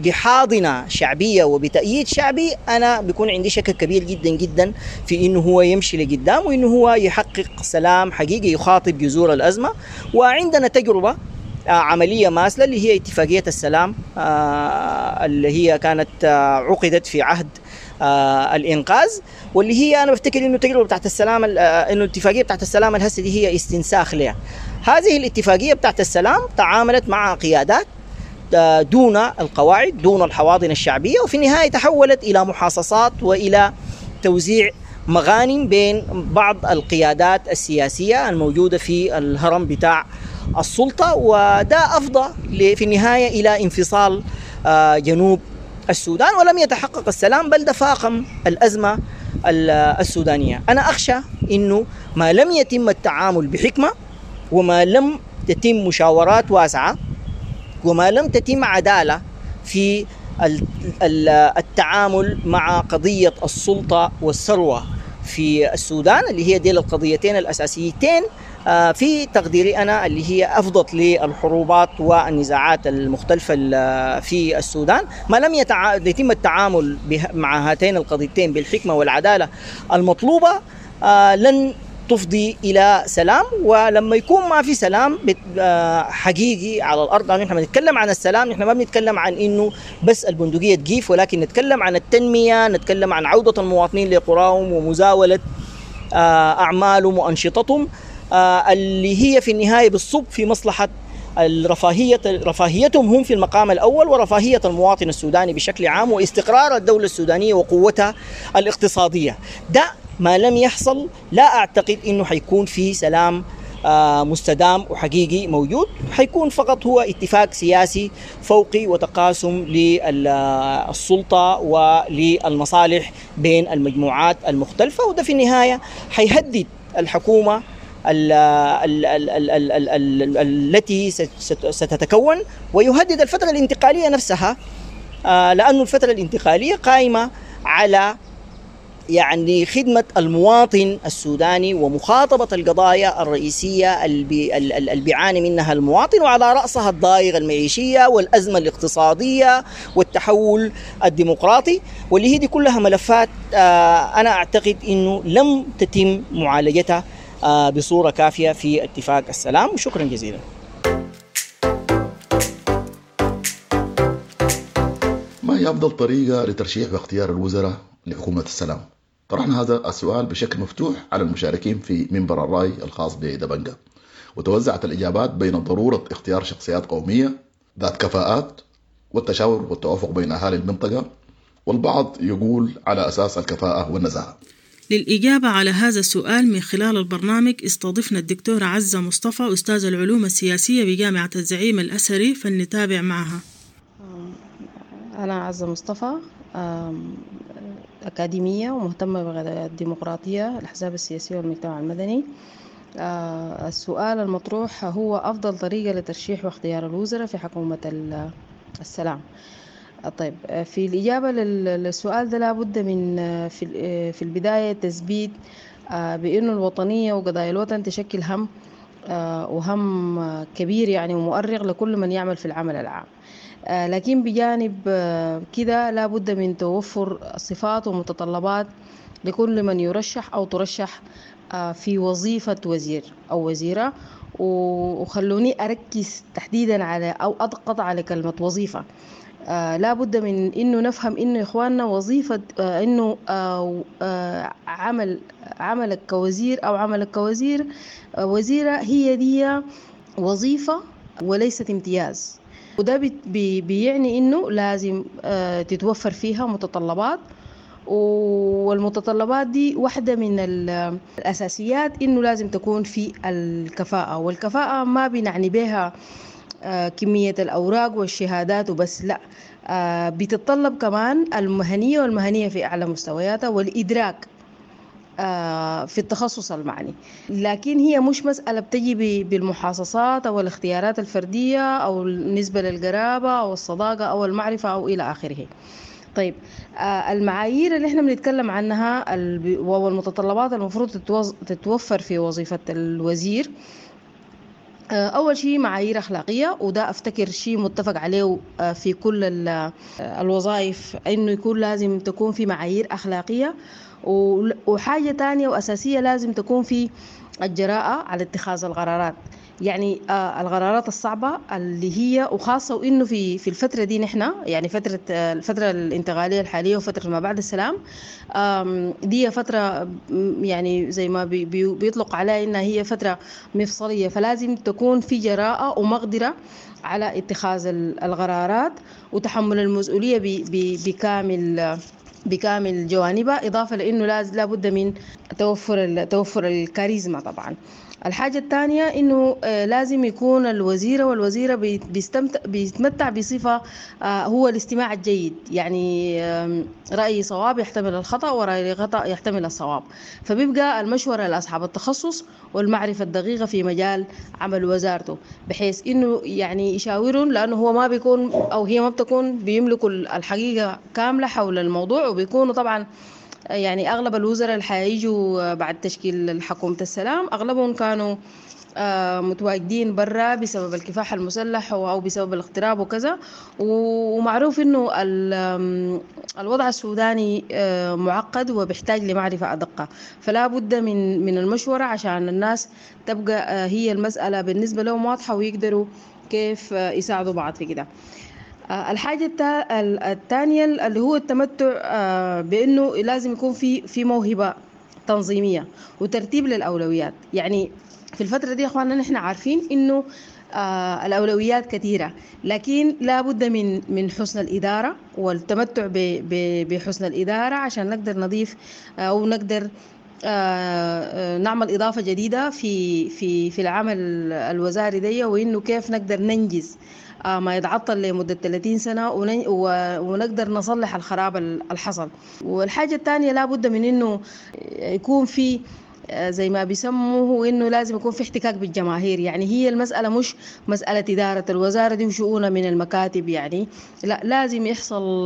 بحاضنة شعبية وبتأييد شعبي، أنا بيكون عندي شك كبير جدا جدا في إنه هو يمشي لقدام وإنه هو يحقق سلام حقيقي يخاطب جذور الأزمة. وعندنا تجربة عملية ماثلة اللي هي اتفاقية السلام اللي هي كانت عقدت في عهد الإنقاذ، واللي هي أنا بفتكر إنه التجربة بتاعت السلام، إنه الاتفاقية بتاعت السلام الهسه دي هي استنساخ لها. هذه الاتفاقية بتاعت السلام تعاملت مع قيادات دون القواعد، دون الحواضن الشعبية، وفي النهاية تحولت إلى محاصصات وإلى توزيع مغانم بين بعض القيادات السياسية الموجودة في الهرم بتاع السلطة، وده أفضى في النهاية إلى انفصال جنوب السودان، ولم يتحقق السلام بل تفاقم الأزمة السودانية. أنا أخشى إنه ما لم يتم التعامل بحكمة، وما لم تتم مشاورات واسعة، وما لم تتم عدالة في التعامل مع قضية السلطة والثروة في السودان، اللي هي ديل القضيتين الأساسيتين في تقديري أنا اللي هي أفضت للحروبات والنزاعات المختلفة في السودان، ما لم يتم التعامل مع هاتين القضيتين بالحكمة والعدالة المطلوبة لن تفضي إلى سلام. ولما يكون ما في سلام حقيقي على الأرض، يعني نحن بنتكلم عن السلام، نحن ما بنتكلم عن إنه بس البندقية تجيف، ولكن نتكلم عن التنمية، نتكلم عن عودة المواطنين لقراهم ومزاولة أعمالهم وأنشطتهم اللي هي في النهاية بالصب في مصلحة الرفاهية، رفاهيتهم هم في المقام الأول، ورفاهية المواطن السوداني بشكل عام، واستقرار الدولة السودانية وقوتها الاقتصادية. ده ما لم يحصل لا أعتقد إنه حيكون في سلام مستدام وحقيقي موجود، حيكون فقط هو اتفاق سياسي فوقي وتقاسم للسلطة وللمصالح بين المجموعات المختلفة، وده في النهاية حيهدد الحكومة ال ال ال ال ال ال التي ستتكون، ويهدد الفترة الانتقالية نفسها، لأن الفترة الانتقالية قائمة على يعني خدمة المواطن السوداني ومخاطبة القضايا الرئيسية اللي بيعاني منها المواطن، وعلى رأسها الضائقة المعيشية والأزمة الاقتصادية والتحول الديمقراطي، واللي هي دي كلها ملفات أنا أعتقد أنه لم تتم معالجتها بصورة كافية في اتفاق السلام. وشكرا جزيلا. ما هي أفضل طريقة لترشيح واختيار الوزراء لحكومة السلام؟ طرحنا هذا السؤال بشكل مفتوح على المشاركين في منبر الرأي الخاص بدبنجة، وتوزعت الإجابات بين ضرورة اختيار شخصيات قومية ذات كفاءات والتشاور والتوافق بين أهالي المنطقة، والبعض يقول على أساس الكفاءة والنزاهة. للإجابة على هذا السؤال من خلال البرنامج استضفنا الدكتورة عزة مصطفى، أستاذ العلوم السياسية بجامعة الزعيم الأزهري، فلنتابع معها. أنا عزة مصطفى، أكاديمية ومهتمة بالديمقراطية، الأحزاب السياسية والمجتمع المدني. السؤال المطروح هو أفضل طريقة لترشيح واختيار الوزراء في حكومة السلام. طيب، في الإجابة للسؤال ده لابد من في البداية تثبيت بأنه الوطنية وقضايا الوطن تشكل هم وهم كبير يعني ومؤرق لكل من يعمل في العمل العام، لكن بجانب كده لابد من توفر صفات ومتطلبات لكل من يرشح أو ترشح في وظيفة وزير أو وزيرة. وخلوني أركز تحديدا على أو أضغط على كلمة وظيفة. آه لابد من إنه نفهم إنه إخواننا وظيفة آه إنه آه آه عمل عملك كوزير أو عملك كوزير آه وزيرة هي دي وظيفة وليست امتياز، وده بي بيعني إنه لازم آه تتوفر فيها متطلبات، والمتطلبات دي واحدة من الأساسيات إنه لازم تكون في الكفاءة. والكفاءة ما بنعني بها كمية الأوراق والشهادات وبس، لا، بتتطلب كمان المهنية، والمهنية في أعلى مستوياتها، والإدراك في التخصص المعني. لكن هي مش مسألة بتجي بالمحاصصات أو الاختيارات الفردية أو النسبة للقرابة أو الصداقة أو المعرفة أو إلى آخره. طيب المعايير اللي احنا بنتكلم عنها والمتطلبات المفروض تتوفر في وظيفة الوزير، أول شيء معايير أخلاقية، وده أفتكر شيء متفق عليه في كل الوظائف، إنه يكون لازم تكون في معايير أخلاقية. وحاجة تانية وأساسية لازم تكون في الجراءة على اتخاذ القرارات، يعني القرارات الصعبة اللي هي، وخاصة وإنه في في الفترة دي نحن يعني فترة الفترة الانتقالية الحالية وفترة ما بعد السلام، دي فترة يعني زي ما بي بيطلق عليها إنها هي فترة مفصلية، فلازم تكون في جراءة ومقدرة على اتخاذ القرارات وتحمل المسؤولية بكامل بكامل جوانبها، إضافة لأنه لازم لابد من توفر توفر الكاريزما طبعا. الحاجة الثانية إنه لازم يكون الوزيرة والوزيرة بيستمتع بيتمتع بصفة هو الاستماع الجيد، يعني رأي صواب يحتمل الخطأ ورأي خطأ يحتمل الصواب، فبيبقى المشورة لأصحاب التخصص والمعرفة الدقيقة في مجال عمل وزارته، بحيث إنه يعني يشاورون، لأنه هو ما بيكون أو هي ما بتكون بيملكوا الحقيقة كاملة حول الموضوع، وبيكونوا طبعا يعني أغلب الوزراء اللي حيجوا بعد تشكيل حكومة السلام أغلبهم كانوا متواجدين برا بسبب الكفاح المسلح أو بسبب الاغتراب وكذا، ومعروف إنه الوضع السوداني معقد وبيحتاج لمعرفة أدق، فلا بد من من المشورة عشان الناس تبقى هي المسألة بالنسبة لهم واضحة ويقدروا كيف يساعدوا بعض في كده. الحاجة الثانية اللي هو التمتع بأنه لازم يكون في في موهبة تنظيمية وترتيب للأولويات. يعني في الفترة دي يا أخواننا نحن عارفين إنه الأولويات كثيرة، لكن لا بد من من حسن الإدارة والتمتع بحسن الإدارة عشان نقدر نضيف أو نقدر نعمل إضافة جديدة في في في العمل الوزاري دي، وإنه كيف نقدر ننجز ما يتعطل لمدة ثلاثين سنة ونقدر نصلح الخراب الحصل. والحاجة الثانية لابد من إنه يكون في زي ما بيسموه إنه لازم يكون في احتكاك بالجماهير، يعني هي المسألة مش مسألة إدارة الوزارة دي وشؤونها من المكاتب، يعني لا، لازم يحصل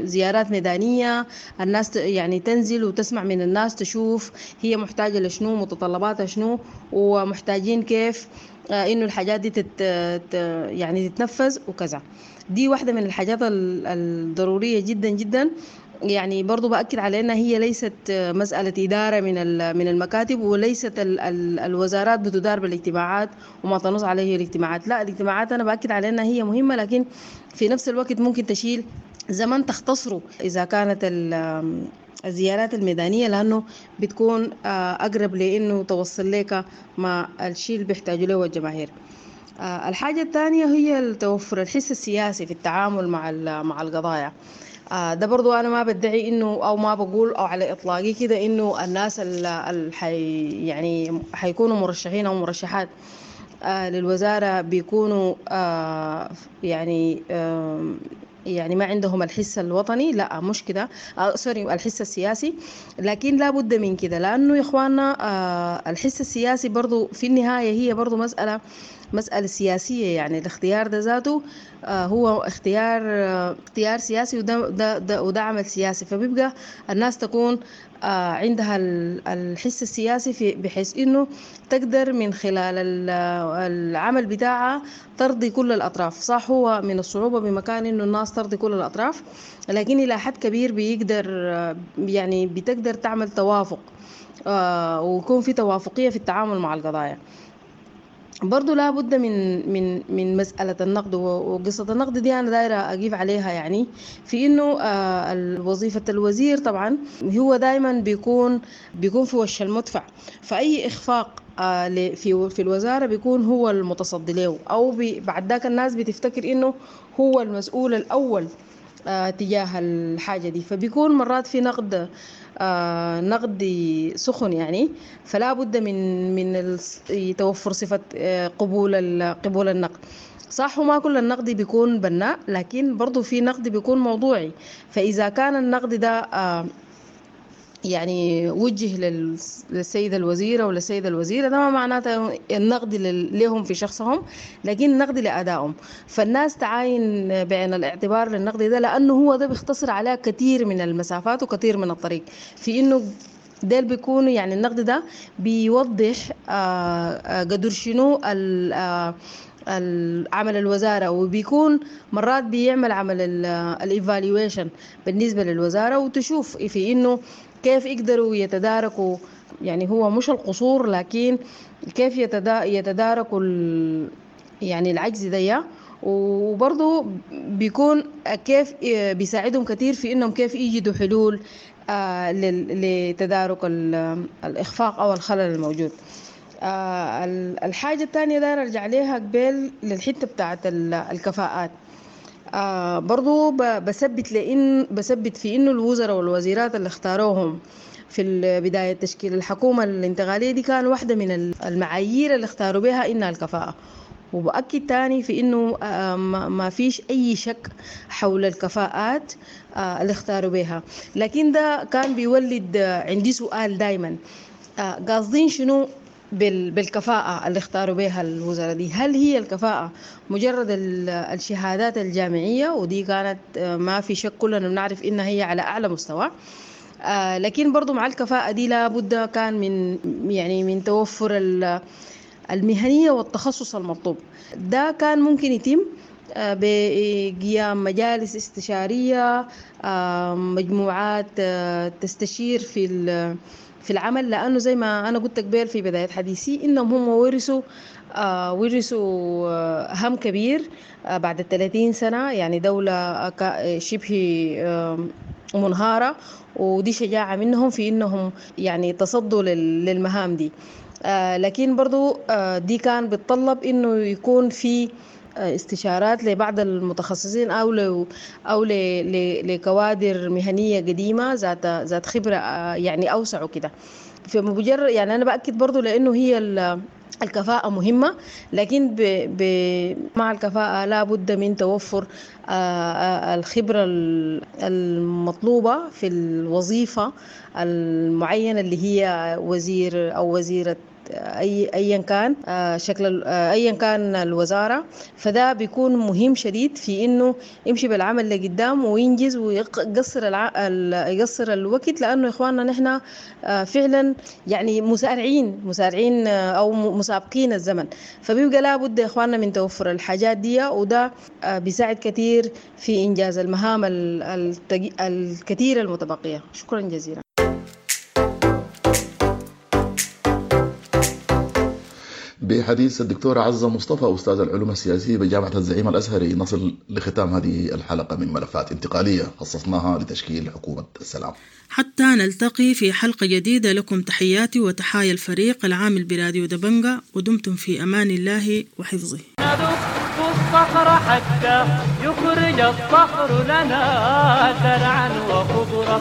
زيارات ميدانية، الناس يعني تنزل وتسمع من الناس، تشوف هي محتاجة لشنو، متطلباتها شنو، ومحتاجين كيف إنه الحاجات دي تت يعني تتنفذ وكذا. دي واحدة من الحاجات الضرورية جدا جدا. يعني برضو بأكد على أنها هي ليست مسألة إدارة من من المكاتب، وليست ال ال الوزارات بتدار بالاجتماعات وما تنص عليه الاجتماعات، لا، الاجتماعات أنا بأكد على أنها هي مهمة، لكن في نفس الوقت ممكن تشيل زمن تختصره إذا كانت الزيارات الميدانية، لأنه بتكون أقرب لأنه توصل لك ما الشيء اللي بيحتاجوا له الجماهير. الحاجة الثانية هي توفر الحس السياسي في التعامل مع مع القضايا. ده برضو أنا ما بدعي إنه أو ما بقول أو على إطلاقي كده إنه الناس اللي حي يعني حيكونوا مرشحين أو مرشحات للوزارة بيكونوا يعني يعني ما عندهم الحس الوطني، لا مش كده، آه سوري الحس السياسي، لكن لا بد من كده، لأنه يا إخواننا آه الحس السياسي برضو في النهاية هي برضو مسألة مسألة سياسية، يعني الاختيار ده ذاته آه هو اختيار آه اختيار سياسي، وده ده ده وده عمل سياسي، فبيبقى الناس تكون آه عندها الحس السياسي في بحيث انه تقدر من خلال العمل بتاعها ترضي كل الاطراف. صح هو من الصعوبة بمكان انه الناس ترضي كل الاطراف، لكن الى حد كبير بيقدر يعني بتقدر تعمل توافق آه ويكون في توافقية في التعامل مع القضايا. برضو لا بد من من من مسألة النقد، وقصة النقد دي أنا دايرة أقيف عليها، يعني في إنه وظيفة الوزير طبعا هو دايما بيكون بيكون في وش المدفع، فأي إخفاق في في الوزارة بيكون هو المتصدي له، أو بعد ذاك الناس بتفتكر إنه هو المسؤول الأول تجاه الحاجة دي، فبيكون مرات في نقد آه نقد سخن يعني، فلا بد من من توفر صفة قبول قبول النقد. صح وما كل النقد بيكون بناء، لكن برضو في نقد بيكون موضوعي، فإذا كان النقد ده آه يعني وجه للسيدة الوزيرة وللسيدة الوزيرة، ده ما معناته النقد لهم في شخصهم، لكن النقد لأدائهم. فالناس تعاين بعين الاعتبار للنقد ده، لأنه هو ده بيختصر عليها كثير من المسافات وكثير من الطريق، في إنه ده بيكون يعني النقد ده بيوضح قدر شنو عمل الوزارة، وبيكون مرات بيعمل عمل ال evaluation بالنسبة للوزارة، وتشوف في إنه كيف يقدروا يتداركوا، يعني هو مش القصور لكن كيف يتداركوا يعني العجز ده، وبرضو بيكون كيف بيساعدهم كثير في إنهم كيف يجدوا حلول لتدارك الإخفاق أو الخلل الموجود. الحاجة الثانية داير أرجع ليها قبل للحتة بتاعت الكفاءات، برضو بثبت لإن بثبت في إنه الوزراء والوزيرات اللي اختاروهم في بداية تشكيل الحكومة الانتقالية دي كان واحدة من المعايير اللي اختاروا بها إنها الكفاءة. وبأكد تاني في إنه ما فيش أي شك حول الكفاءات اللي اختاروا بها، لكن ده كان بيولد عندي سؤال دايما، قاصدين شنو بالكفاءة اللي اختاروا بها الوزراء دي؟ هل هي الكفاءة مجرد الشهادات الجامعية؟ ودي كانت ما في شك كلنا بنعرف إنها هي على أعلى مستوى، لكن برضو مع الكفاءة دي لابد كان من يعني من توفر المهنية والتخصص المطلوب. ده كان ممكن يتم بقيام مجالس استشارية، مجموعات تستشير في في العمل، لأنه زي ما أنا قلت قبل في بداية حديثي إنهم هم ورثوا آه ورثوا آه هم كبير آه بعد الثلاثين سنة، يعني دولة شبه آه منهارة، ودي شجاعة منهم في إنهم يعني تصدوا للمهام دي. آه لكن برضو آه دي كان بتطلب إنه يكون في استشارات لبعض المتخصصين أو ل أو لكوادر مهنية قديمة ذات ذات خبرة يعني أوسع وكده. في مجرد يعني أنا بأكد برضو لأنه هي الكفاءة مهمة، لكن ب ب مع الكفاءة لا بد من توفر الخبرة المطلوبة في الوظيفة المعينة اللي هي وزير أو وزيرة أي أيا كان شكل أيا كان الوزارة. فده بيكون مهم شديد في إنه يمشي بالعمل لقدام وينجز ويقصر الع... يقصر الوقت، لأنه إخواننا نحن فعلا يعني مسارعين مسارعين أو مسابقين الزمن، فبيبقى لابد يا إخواننا من توفر الحاجات دي، وده بيساعد كثير في إنجاز المهام التج... الكثيرة المتبقية. شكرا جزيلا. بحديث الدكتورة عزة مصطفى أستاذ العلوم السياسية بجامعة الزعيم الأزهري نصل لختام هذه الحلقة من ملفات انتقالية خصصناها لتشكيل حكومة السلام. حتى نلتقي في حلقة جديدة، لكم تحياتي وتحايا الفريق العامل براديو دبنجة، ودمتم في أمان الله وحفظه. ندق الصخر حتى يخرج الصخر لنا زرعا وخضرا،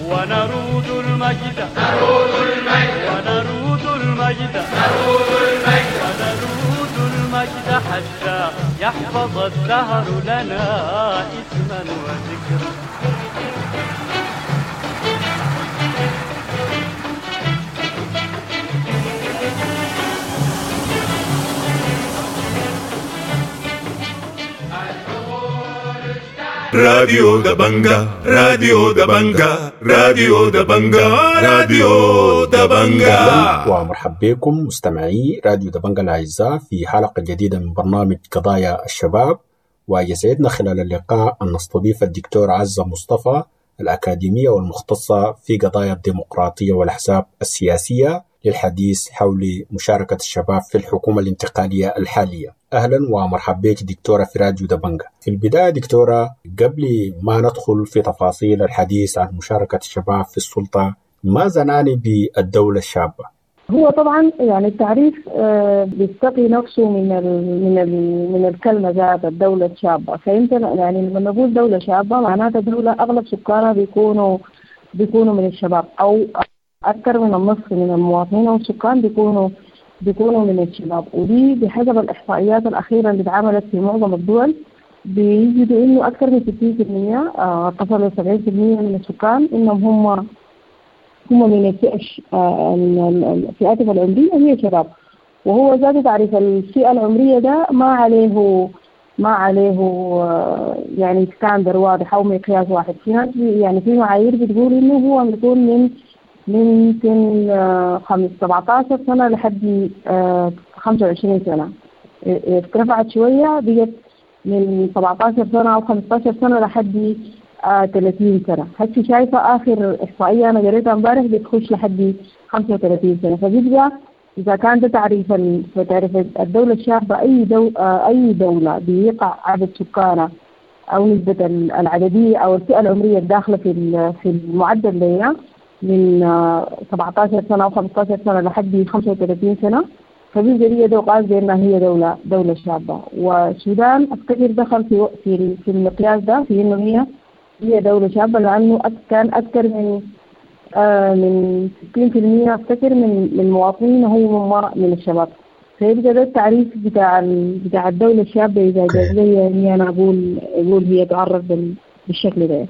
ونرود المجد نرود المجد ونرود المجد نرود المجد ونرود المجد حتى يحفظ الدهر لنا اسما وذكرا. راديو دبنجا، راديو دبنجا، راديو دبنجا، راديو دبنجا. ومرحبا بكم مستمعي راديو دبنجا الأعزاء في حلقة جديدة من برنامج قضايا الشباب، ويسعدنا خلال اللقاء أن نستضيف الدكتور عزة مصطفى الأكاديمية والمختصة في قضايا الديمقراطية والأحزاب السياسية للحديث حول مشاركة الشباب في الحكومة الانتقالية الحالية. أهلا ومرحبا بك دكتورة في راديو دبنجا. في البداية دكتورة، قبل ما ندخل في تفاصيل الحديث عن مشاركة الشباب في السلطة، ماذا نعني بالدولة الشابة؟ هو طبعا يعني التعريف بيستقي نفسه من ال من ال من الكلمة ذات الدولة الشابة. فانت يعني لما نقول دولة شابة معناتها دولة أغلب سكانها بيكونوا بيكونوا من الشباب، أو أكثر من النصف من المواطنين أو السكان بيكونوا بيكونوا من الشباب. ودي بحسب الإحصائيات الأخيرة اللي اتعملت في معظم الدول بيجدوا إنه أكثر من ستين بالمية تصل لسبعين بالمية من السكان إنهم هم هم من الفئة فئاتهم العمرية هي شباب، وهو ذات تعريف الفئة العمرية ده ما عليه ما عليه يعني ستاندر واضح أو مقياس واحد. في ناس يعني في معايير بتقول إنه هو بيكون من من سن سبعتاشر سنة لحد خمسة وعشرين سنة، ارتفعت شوية بقت من سبعتاشر سنة أو خمستاشر سنة لحد ثلاثين سنة. هسي شايفة آخر إحصائية أنا قريتها امبارح بتخش لحد خمسة وثلاثين سنة. فبيبقى إذا كان ده تعريف تعريف الدولة الشابة، أي دو أي دولة بيقع عدد سكانها أو نسبة العددية أو الفئة العمرية الداخلة في في المعدل ده من سبعتاشر سنة أو خمستاشر سنة لحد خمسة وثلاثين سنة، فبيبقى دي قاس بأنها هي دولة دولة شابة. والسودان أفتكر دخل في في في المقياس ده في إنه هي هي دولة شابة، لأنه كان أكثر من آه من ستين في المية أفتكر من من مواطنين هو من الشباب. فيبقى ده التعريف بتاع بتاع الدولة الشابة إذا جاز لي يعني أنا أقول أقول هي تعرف بالشكل ده.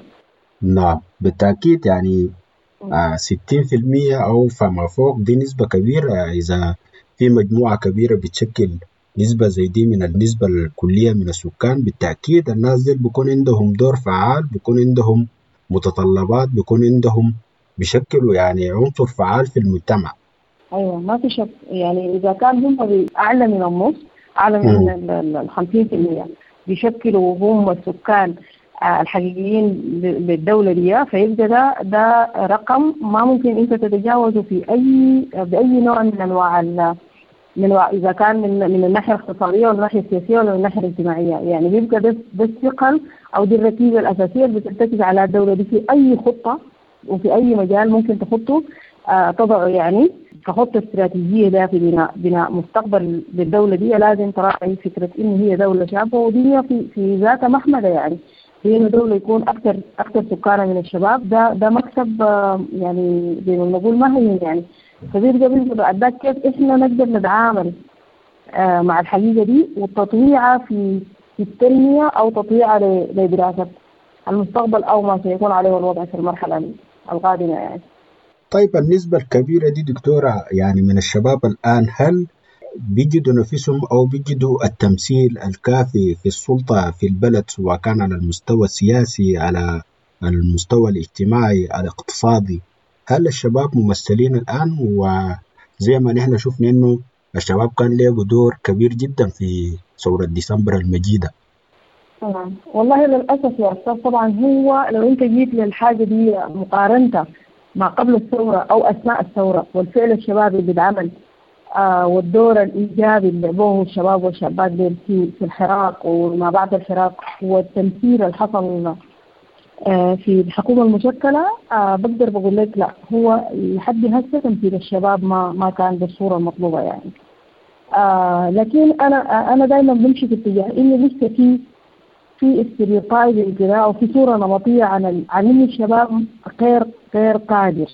نعم بالتأكيد، يعني آه ستين في المية أو فما فوق دي نسبة كبيرة. إذا في مجموعة كبيرة بتشكل نسبة زي دي من النسبة الكلية من السكان، بالتأكيد الناس دي بيكون عندهم دور فعال، بيكون عندهم متطلبات، بيكون عندهم بيشكلوا يعني عنصر فعال في المجتمع. أيوة ما في شك، يعني إذا كان هم أعلى من النص، أعلى من الخمسين في المية بيشكلوا هم السكان الحقيقيين للدولة دي، فيبقى ده ده رقم ما ممكن أنت تتجاوزه في أي بأي نوع من أنواع من إذا كان من من الناحية الاقتصادية ولا الناحية السياسية ولا الناحية الاجتماعية. يعني بيبقى ده ده الثقل أو دي الركيزة الأساسية اللي بترتكز على الدولة دي في أي خطة وفي أي مجال ممكن تخطه آه تضعه، يعني كخطة استراتيجية ده في بناء بناء مستقبل للدولة دي لازم تراعي فكرة إن هي دولة شابة، ودي في في ذاتها محمدة، يعني هي إنه دولة يكون أكثر أكثر سكانها من الشباب، ده ده مكسب آه يعني زي ما نقول ما هي يعني. فبيبقى بيبقى بعد ذاك كيف إحنا نقدر نتعامل آه مع الحقيقة دي والتطويعة في في التنمية أو تطويعة لدراسة المستقبل أو ما سيكون عليه الوضع في المرحلة القادمة يعني. طيب النسبة الكبيرة دي دكتورة يعني من الشباب الآن، هل بيجدوا نفسهم أو بيجدوا التمثيل الكافي في السلطة في البلد، سواء كان على المستوى السياسي، على المستوى الاجتماعي، الاقتصادي؟ هل الشباب ممثلين الآن؟ وزي ما نحن شفنا إنه الشباب كان له دور كبير جدا في ثورة ديسمبر المجيدة. طبعا والله للأسف يا أستاذ، طبعا هو لو أنت جيت للحاجة دي مقارنة ما قبل الثورة أو أثناء الثورة والفعل الشبابي اللي اتعمل آه والدور الإيجابي اللي لعبوه الشباب والشابات في في الحراك وما بعد الحراك والتمثيل اللي حصل آه في الحكومة المشكلة، آه بقدر بقول لك لا، هو لحد هسه تمثيل الشباب ما ما كان بالصورة المطلوبة يعني. آه لكن أنا أنا دائما بمشي في اتجاه إنه لسه في في stereotype كده أو في صورة نمطية عن عن إنه الشباب غير غير قادر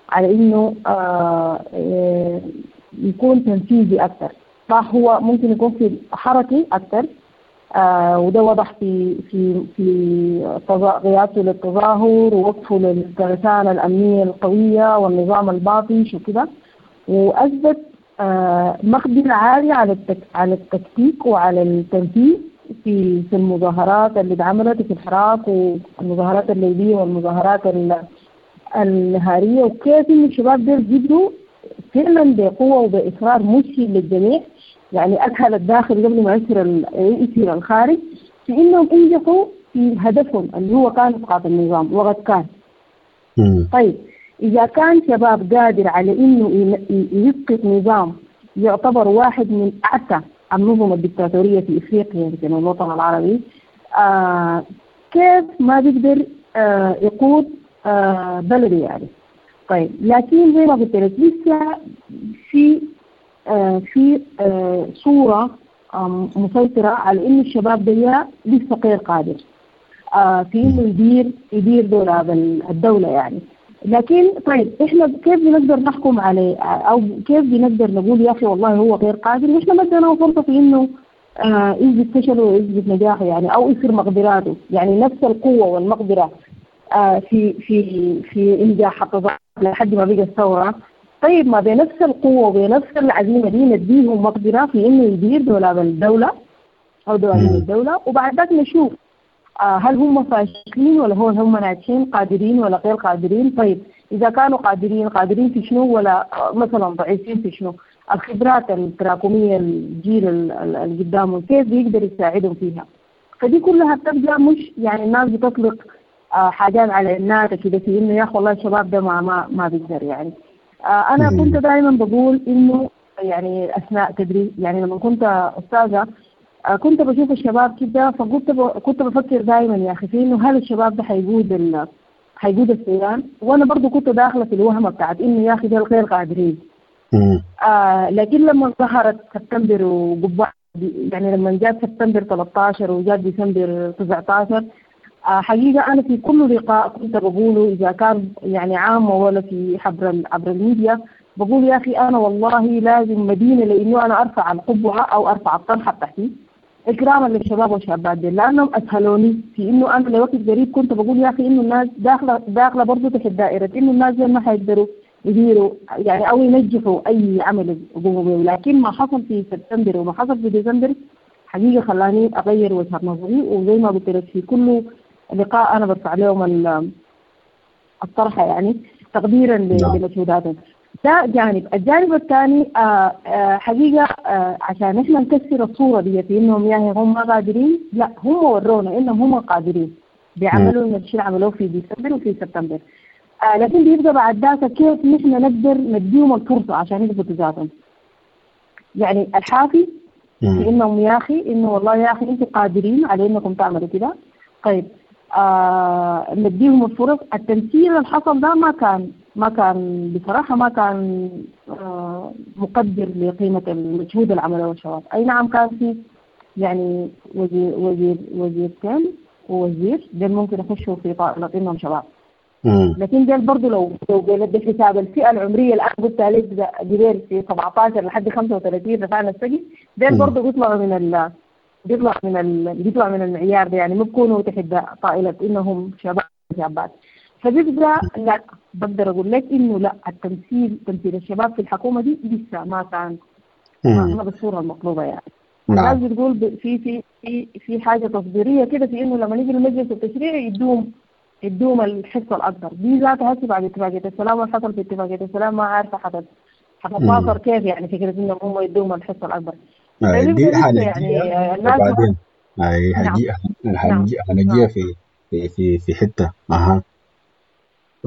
على إنه آه يكون تنفيذي أكثر. صح هو ممكن يكون في حركي أكثر، آه وده وضح في في في قيادته للتظاهر ووقفه للترسانة الأمنية القوية والنظام الباطش وكده، وأثبت آه مقدرة عالية على التك على التكتيك وعلى التنفيذ في في المظاهرات اللي اتعملت في الحراك والمظاهرات الليلية والمظاهرات النهارية، وكيف إن الشباب دول قدروا فعلا بقوة وبإصرار مذهل للجميع، يعني أدخل الداخل قبل ما يصير يصير الخارج، في إنهم انجحوا في هدفهم اللي هو كان إسقاط النظام وقد كان. مم. طيب إذا كان شباب قادر على إنه يسقط نظام يعتبر واحد من أعتى النظم الدكتاتورية في إفريقيا يمكن والوطن العربي، آه كيف ما بيقدر آه يقود آه بلده يعني. طيب لكن زي ما قلت لك لسه في آه في آه صورة آه مسيطرة على إنه الشباب ده لسه غير قادر آه في إنه يدير يدير دولاب الدولة يعني. لكن طيب إحنا كيف بنقدر نحكم عليه أو كيف بنقدر نقول يا أخي والله هو غير قادر وإحنا ما اديناه فرصة في إنه آه يثبت فشله ويثبت نجاحه يعني أو يصير مقدراته، يعني نفس القوة والمقدرة آه في في في إنجاح التظاهر لحد ما بقى الثورة. طيب ما بنفس القوة وبنفس العزيمة دي نديهم مقدرة في إنه يدير دولاب الدولة أو دواليب الدولة، وبعد ذاك نشوف آه هل هم فاشلين ولا هو هم ناجحين، قادرين ولا غير قادرين. طيب إذا كانوا قادرين، قادرين في شنو ولا مثلا ضعيفين في شنو؟ الخبرات التراكمية الجيل اللي قدامهم كيف بيقدر يساعدهم فيها؟ فدي كلها بتبقى مش يعني الناس بتطلق آه حاجات على الناس كده في إنه يا أخي والله الشباب ده ما ما ما بيقدر يعني. آه أنا كنت دائما بقول إنه يعني أثناء تدريس، يعني لما كنت أستاذة آه كنت بشوف الشباب كده، فكنت ب... كنت بفكر دائما يا أخي في إنه هل الشباب ده حيقود ال... حيقود السودان؟ وأنا برضو كنت داخلة في الوهمة بتاعت إنه يا أخي ده غير قادرين. آه لكن لما ظهرت سبتمبر وقبعة، يعني لما جاء سبتمبر ثلاثة عشر وجاء ديسمبر تسعة عشر، آه حقيقة أنا في كل لقاء كنت بقوله إذا كان يعني عام ولا في عبر عبر الميديا، بقول يا أخي أنا والله لازم مدينة لأنه أنا أرفع القبعة أو أرفع الطرحة بتاعتي إكراما للشباب والشابات دي، لأنهم أسهلوني في إنه أنا لوقت قريب كنت بقول يا أخي إنه الناس داخلة داخلة برضه تحت دائرة إنه الناس ما حيقدروا يديروا يعني أو ينجحوا أي عمل يقوموا به. لكن ما حصل في سبتمبر وما حصل في ديسمبر حقيقة خلاني أغير وجهة نظري، وزي ما قلت لك في كل لقاء أنا برفع لهم الطرحة يعني تقديرا لمجهوداتهم. ده جانب. الجانب الثاني آه آه حقيقة آه عشان إحنا نكسر الصورة دي في إنهم يعني هم ما قادرين، لا هم ورونا إنهم هم قادرين، بيعملوا الشيء اللي عملوه في ديسمبر وفي سبتمبر. آه لكن بيبقى بعد ذاك كيف نحن نقدر نديهم الفرصة عشان يثبتوا ذاتهم. يعني الحافز في إنهم يا أخي إنه والله يا أخي أنتوا قادرين على إنكم تعملوا كده. طيب آه نديهم الفرص. التمثيل اللي حصل ده ما كان ما كان بصراحة ما كان آه مقدر لقيمة المجهود اللي عملوه الشباب. أي نعم كان في يعني وزير وزير وزيرتين ووزير دول ممكن يخشوا في طائلة إنهم شباب، لكن دول برضه لو لو بحساب الفئة العمرية اللي أنا قلت عليك جبال في سبعة عشر لحد خمسة وثلاثين رفعنا السقف، دول برضه بيطلعوا من ال بيطلع من ال بيطلع من المعيار ده، يعني ما بيكونوا تحت طائلة إنهم شباب شابات. فبيبقى لا بقدر أقول لك إنه لا التمثيل تمثيل الشباب في الحكومة دي لسه ما كان ما بالصورة المطلوبة يعني. الناس بتقول في في في في حاجة تصديرية كده في إنه لما نيجي المجلس التشريعي يدوم يدوم الحصة الأكبر دي ذاتها. هسه بعد اتفاقية السلام والحصل في اتفاقية السلام ما عارفة حتت حتتواصل كيف يعني فكرة إنهم هم يدوم الحصة الأكبر. دي حنجيها يعني وبعدين هاي هنجي هنجيها في في في في حتة. أها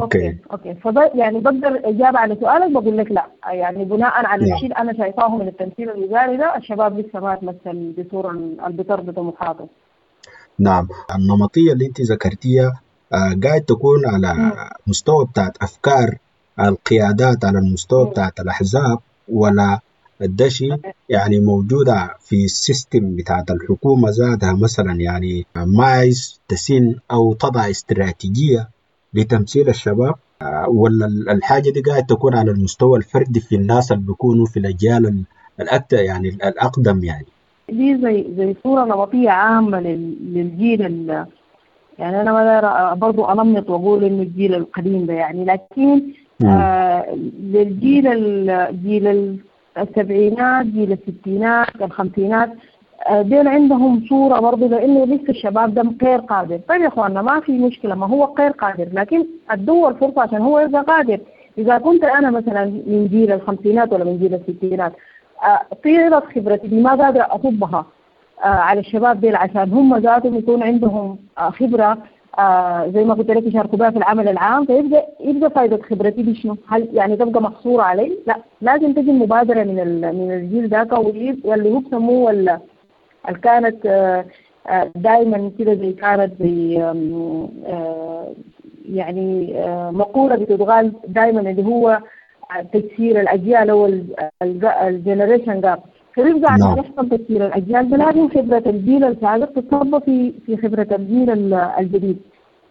okay okay فب يعني بقدر إجابة على سؤالك بقول لك لا، يعني بناء على الشيء اللي أنا شايفاه من التمثيل الوزاري ده الشباب لسه ما تمثل بصورة اللي بترضي طموحاته. نعم، النمطية اللي أنت ذكرتيها قاعد تكون على م. مستوى بتاعت أفكار القيادات، على المستوى م. بتاعت الأحزاب، ولا الدشي يعني موجودة في ال system بتاعت الحكومة ذاتها مثلا، يعني ما عايز تسن أو تضع استراتيجية لتمثيل الشباب، ولا الحاجة دي قاعد تكون على المستوى الفردي في الناس اللي بيكونوا في الأجيال الأكثر يعني الأقدم؟ يعني دي زي زي صورة نمطية عامة للجيل ال يعني أنا ما برضو أنمط وأقول إنه الجيل القديم ده يعني، لكن آه للجيل الجيل السبعينات، جيل الستينات، الخمسينات، ديل عندهم صورة برضو لأنه لسه الشباب ده غير قادر. طيب يا إخواننا ما في مشكلة، ما هو غير قادر، لكن أدوه الفرصة عشان هو يبقى قادر. إذا كنت أنا مثلا من جيل الخمسينات ولا من جيل الستينات، طيلة خبرتي دي ما قادرة أصبها على الشباب ديل عشان هم ذاتهم يكون عندهم خبرة زي ما قلت لك يشاركوا بها في العمل العام، فيبقى يبقى فائدة خبرتي دي شنو؟ هل يعني تبقى محصورة علي؟ لا، لازم تجي المبادرة من من الجيل ذاك، واللي هو بسموه ولا كانت دائما كده زي كانت زي يعني مقولة بتتقال دائما اللي هو تكسير الأجيال أو ال generation gap. فبيبقى عشان يحصل تكسير الأجيال ده لازم خبرة الجيل السابق تتصب في في خبرة الجيل الجديد.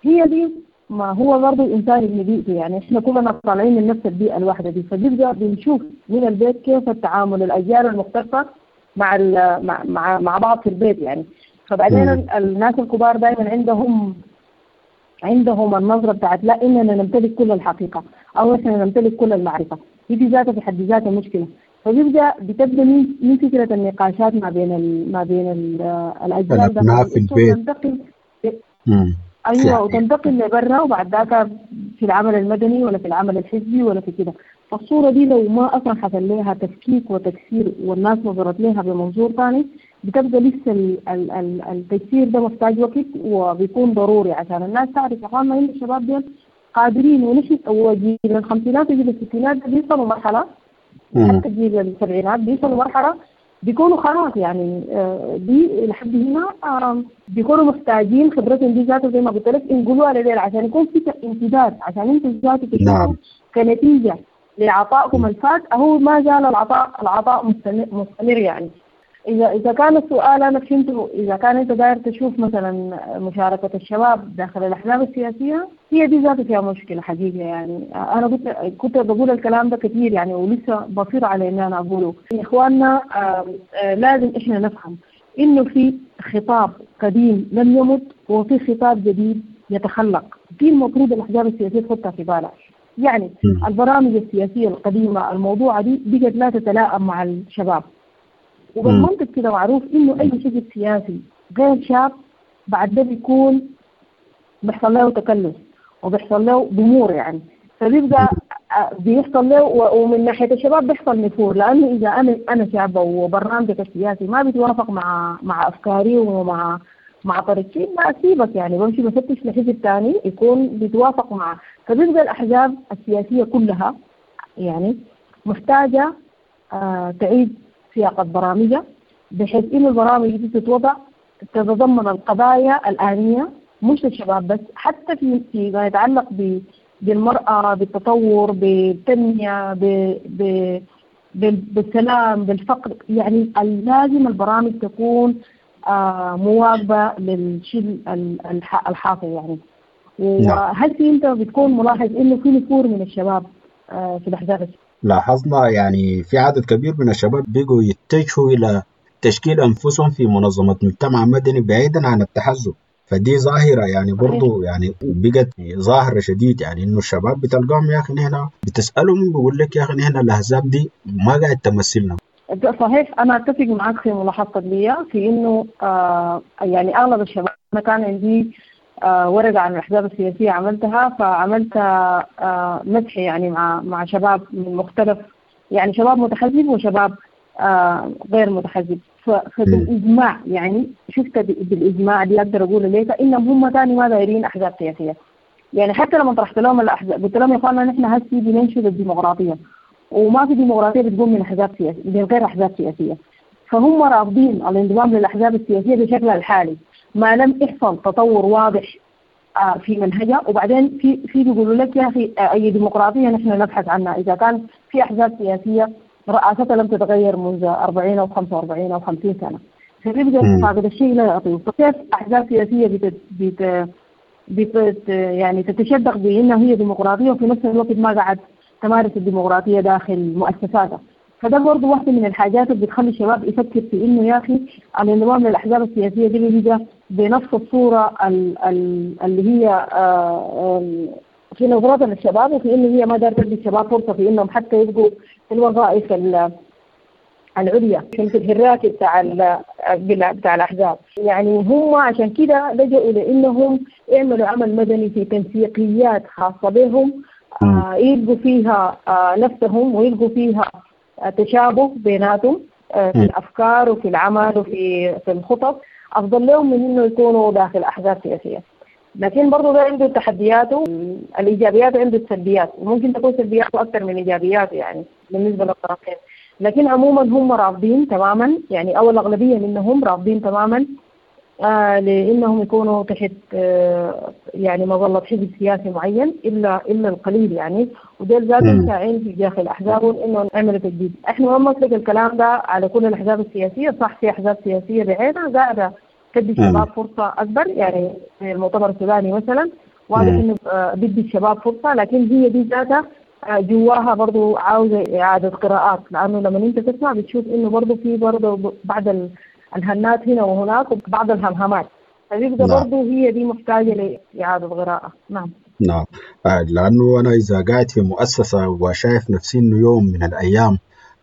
هي دي ما هو برضه الإنسان اللي بيئته، يعني إحنا كلنا طالعين من نفس البيئة الواحدة دي، فبيبقى بنشوف من البيت كيف التعامل الأجيال المختلفة مع مع مع مع بعض في البيت يعني. فبعدين الناس الكبار دائما عندهم عندهم النظرة بتاعت لا إننا نمتلك كل الحقيقة أو إحنا نمتلك كل المعرفة، دي في ذاتها في حد ذاتها مشكلة. فبيبدأ بتبدأ من من فكرة النقاشات ما بين ال ما بين ال الأجيال الأبناء في البيت. وتنتقل أيوة وتنتقل لبرا، وبعد ذاك في العمل المدني ولا في العمل الحزبي ولا في كده. فالصورة دي لو ما أصلا حصل لها تفكيك وتكسير والناس نظرت لها بمنظور ثاني، بتبقى لسه ال ال التكسير ده محتاج وقت وبيكون ضروري عشان الناس تعرف يا اخوانا إن الشباب دول قادرين. ونحن وجيل الخمسينات وجيل الستينات بيوصلوا مرحلة، حتى جيل السبعينات بيوصلوا مرحلة بيكونوا خلاص يعني دي لحد هنا بيكونوا محتاجين خبرتهم دي ذاته زي ما قلت لك ينقلوها لديل عشان يكون في امتداد، عشان انتوا ذاته تشوفوا كنتيجة لعطائكم الفات أهو ما زال العطاء العطاء مستمر, مستمر يعني. إذا إذا كان السؤال أنا فهمته، إذا كان أنت داير تشوف مثلا مشاركة الشباب داخل الأحزاب السياسية، هي دي ذاتها فيها مشكلة حقيقة يعني. أنا كنت كنت بقول الكلام ده كثير يعني، ولسه بصير على إن أنا أقوله. يا إخواننا لازم إحنا نفهم إنه في خطاب قديم لم يمت وفي خطاب جديد يتخلق، دي المفروض الأحزاب السياسية تحطها في بالها. يعني البرامج السياسية القديمة الموضوعة دي بقت لا تتلائم مع الشباب، وبالمنطق كده معروف إنه أي حزب سياسي غير شاب بعد ده بيكون بيحصل له تكلف وبيحصل له ضمور يعني، فبيبقى بيحصل له، ومن ناحية الشباب بيحصل نفور، لأنه إذا أنا أنا شابة وبرنامجك السياسي ما بيتوافق مع مع أفكاري ومع مع طريقتي، ما أسيبك يعني، بمشي بفتش لحزب تاني يكون بيتوافق مع. فبيبقى الأحزاب السياسية كلها يعني محتاجة آه تعيد سياقة برامجها، بحيث إنه البرامج دي تتوضع تتضمن القضايا الآنية، مش للشباب بس، حتى في فيما يتعلق بالمرأة، بالتطور، بالتنمية، ب ب بالسلام، بالفقر. يعني لازم البرامج تكون آه مواكبة للشيء الحاصل يعني. وهل في أنت بتكون ملاحظ إنه في نفور من الشباب آه في الأحزاب؟ لاحظنا يعني في عدد كبير من الشباب بيجوا يتجهوا إلى تشكيل أنفسهم في منظمة مجتمع مدني بعيدا عن التحزب، فدي ظاهرة يعني برضو يعني بقت ظاهرة شديد، يعني إنه الشباب بتلقاهم يا أخي نحن بتسألهم بيقول لك يا أخي نحن الأحزاب دي ما قاعد تمثلنا. صحيح، أنا أتفق معك في ملاحظتك دي في إنه آه يعني أغلب الشباب، أنا كان عندي آه ورقة عن الأحزاب السياسية عملتها، فعملت آه مسح يعني مع مع شباب من مختلف، يعني شباب متحزب وشباب آه غير متحزب، فبالإجماع يعني شفت بالإجماع دي أقدر أقول لك إنهم هم تاني ما دايرين أحزاب سياسية. يعني حتى لما طرحت لهم الأحزاب قلت لهم يا إخواننا نحن هسي بننشد الديمقراطية، وما في ديمقراطية بتقوم من أحزاب سياسية من غير أحزاب سياسية، فهم رافضين الانضمام للأحزاب السياسية بشكلها الحالي ما لم يحصل تطور واضح في منهجها. وبعدين في في بيقولوا لك يا أخي أي ديمقراطية نحن نبحث عنها إذا كان في أحزاب سياسية رئاستها لم تتغير منذ أربعين أو خمسة وأربعين أو خمسين سنة، فبيبقى فاقد الشيء لا يعطيه. فكيف أحزاب سياسية بت بت بت يعني تتشدق بأنها هي ديمقراطية وفي نفس الوقت ما قاعد تمارس الديمقراطية داخل مؤسساتها؟ فده برضه واحدة من الحاجات اللي بتخلي الشباب يفكر في إنه يا أخي الانضمام للأحزاب السياسية دي بيجي بنفس الصورة اللي هي في نظرتها للشباب، وفي إنه هي ما دارت تدي الشباب فرصة في إنهم حتى يبقوا في الوظائف العليا في الهراكي بتاع بتاع الأحزاب. يعني هم عشان كده لجأوا لإنهم يعملوا عمل مدني في تنسيقيات خاصة بهم آه يلقوا فيها آه نفسهم ويلقوا فيها آه تشابه بيناتهم آه في الأفكار وفي العمل وفي في الخطط، أفضل لهم من إنه يكونوا داخل أحزاب سياسية. لكن برضو ده عنده تحدياته، الإيجابيات عنده السلبيات، وممكن تكون سلبياته أكثر من إيجابياته يعني بالنسبة للطرفين. لكن عموما هم رافضين تماما، يعني أو الأغلبية منهم رافضين تماما آه لأنهم يكونوا تحت آه يعني مظلة حزب سياسي معين إلا إلا القليل يعني، وديل ذاتهم ساعين في داخل أحزابهم إنه نعمل تجديد. إحنا ما نطلق الكلام ده على كل الأحزاب السياسية، صح في أحزاب سياسية بعينها قاعدة تدي الشباب فرصة أكبر، يعني في المؤتمر السوداني مثلا واضح إنه آه بدي الشباب فرصة، لكن هي دي ذاتها آه جواها برضو عاوزة إعادة قراءات، لأنه لما أنت تسمع بتشوف إنه برضو في برضو بعض الهنات هنا وهناك وبعض الهمهمات. فبيبقى نعم. برضه هي دي محتاجة لإعادة قراءة. نعم نعم، لأنه أنا إذا قاعد في مؤسسة وشايف نفسي إنه يوم من الأيام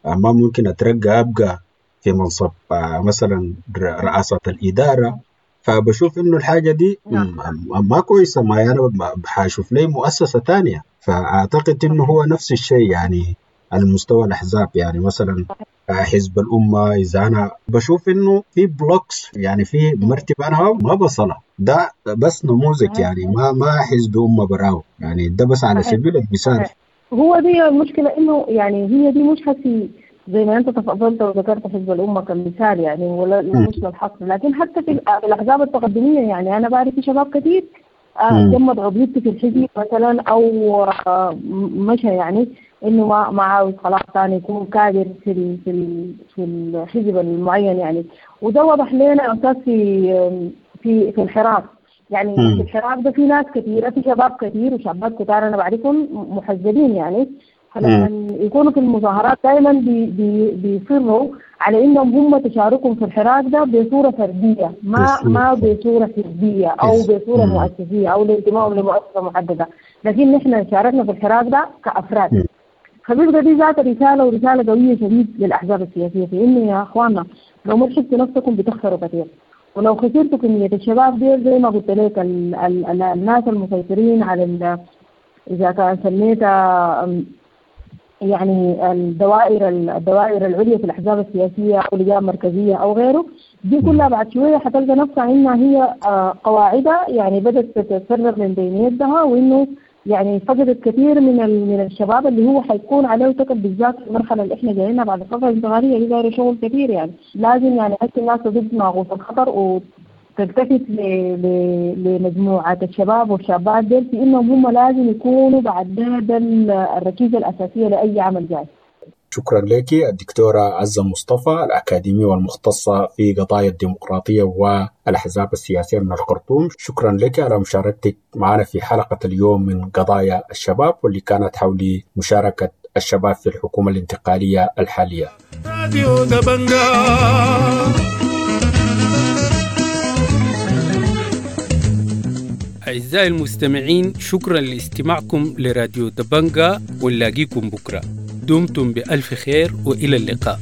ما ممكن أترقى أبقى في منصب مثلا رئاسة الإدارة، فبشوف إنه الحاجة دي ما كويسة، ما أنا حاشوف لي مؤسسة تانية. فأعتقد إنه هو نفس الشيء يعني على مستوى الأحزاب، يعني مثلا حزب الأمة إذا أنا بشوف إنه في blocks يعني في مرتبة أنا ما بصلها، ده بس نموذج يعني ما ما حزب أمة براو، يعني ده بس على سبيل المثال. هو دي المشكلة إنه يعني هي دي مش حسي زي ما أنت تفضلت وذكرت حزب الأمة كمثال يعني، ولا مش للحصر، لكن حتى في الأحزاب التقدمية يعني أنا بعرف في شباب كثير جمد عضويتي في الحزب مثلا أو مشى يعني إنه ما ما عاوز خلاص ثاني يكون كادر في ال في ال في الحزب المعين يعني. وده وضح لنا أساس في في في الحراك يعني. في الحراك ده في ناس كثيرة، في شباب كثير وشابات كتار أنا بعرفهم محزبين يعني، فلما يكونوا في المظاهرات دائما بي بي بيصروا على انهم هم تشاركهم في الحراك ده بصورة فردية، ما ما بصورة حزبية او بصورة مؤسسيه او لانتمائهم لمؤسسة محددة، لكن نحن شاركنا في الحراك ده كافراد. فبيبقى دي ذات رسالة، ورسالة قوية شديد للاحزاب السياسية في انه يا اخواننا لو ما لحقتوا نفسكم بتخسروا كثير، ولو خسرتوا كمية الشباب دي زي ما قلت لك ال ال ال الناس المسيطرين على اذا كان سميتها يعني الدوائر الدوائر العليا في الأحزاب السياسية أو لجان مركزية أو غيره، دي كلها بعد شوية حتلقى نفسها إنها هي قواعدها يعني بدأت تتفرغ من بين يدها، وإنه يعني فقدت كثير من من الشباب اللي هو حيكون عليه تكل، بالذات في المرحلة اللي إحنا جايينها بعد الفترة الانتقالية دي دايرة شغل كثير يعني. لازم يعني هسه الناس تضد ناقوس الخطر وتلتفت لمجموعة الشباب والشابات ديل في إنهم هم لازم يكونوا بعد ده الركيزة الأساسية لأي عمل جاي. شكرا لك الدكتورة عزة مصطفى، الأكاديمية والمختصة في قضايا الديمقراطية والأحزاب السياسية من الخرطوم. شكرا لك على مشاركتك معنا في حلقة اليوم من قضايا الشباب، واللي كانت حول مشاركة الشباب في الحكومة الانتقالية الحالية. راديو دبنجا. أعزائي المستمعين، شكرا لاستماعكم لراديو دبنجا، ونلاقيكم بكرة. دمتم بألف خير وإلى اللقاء.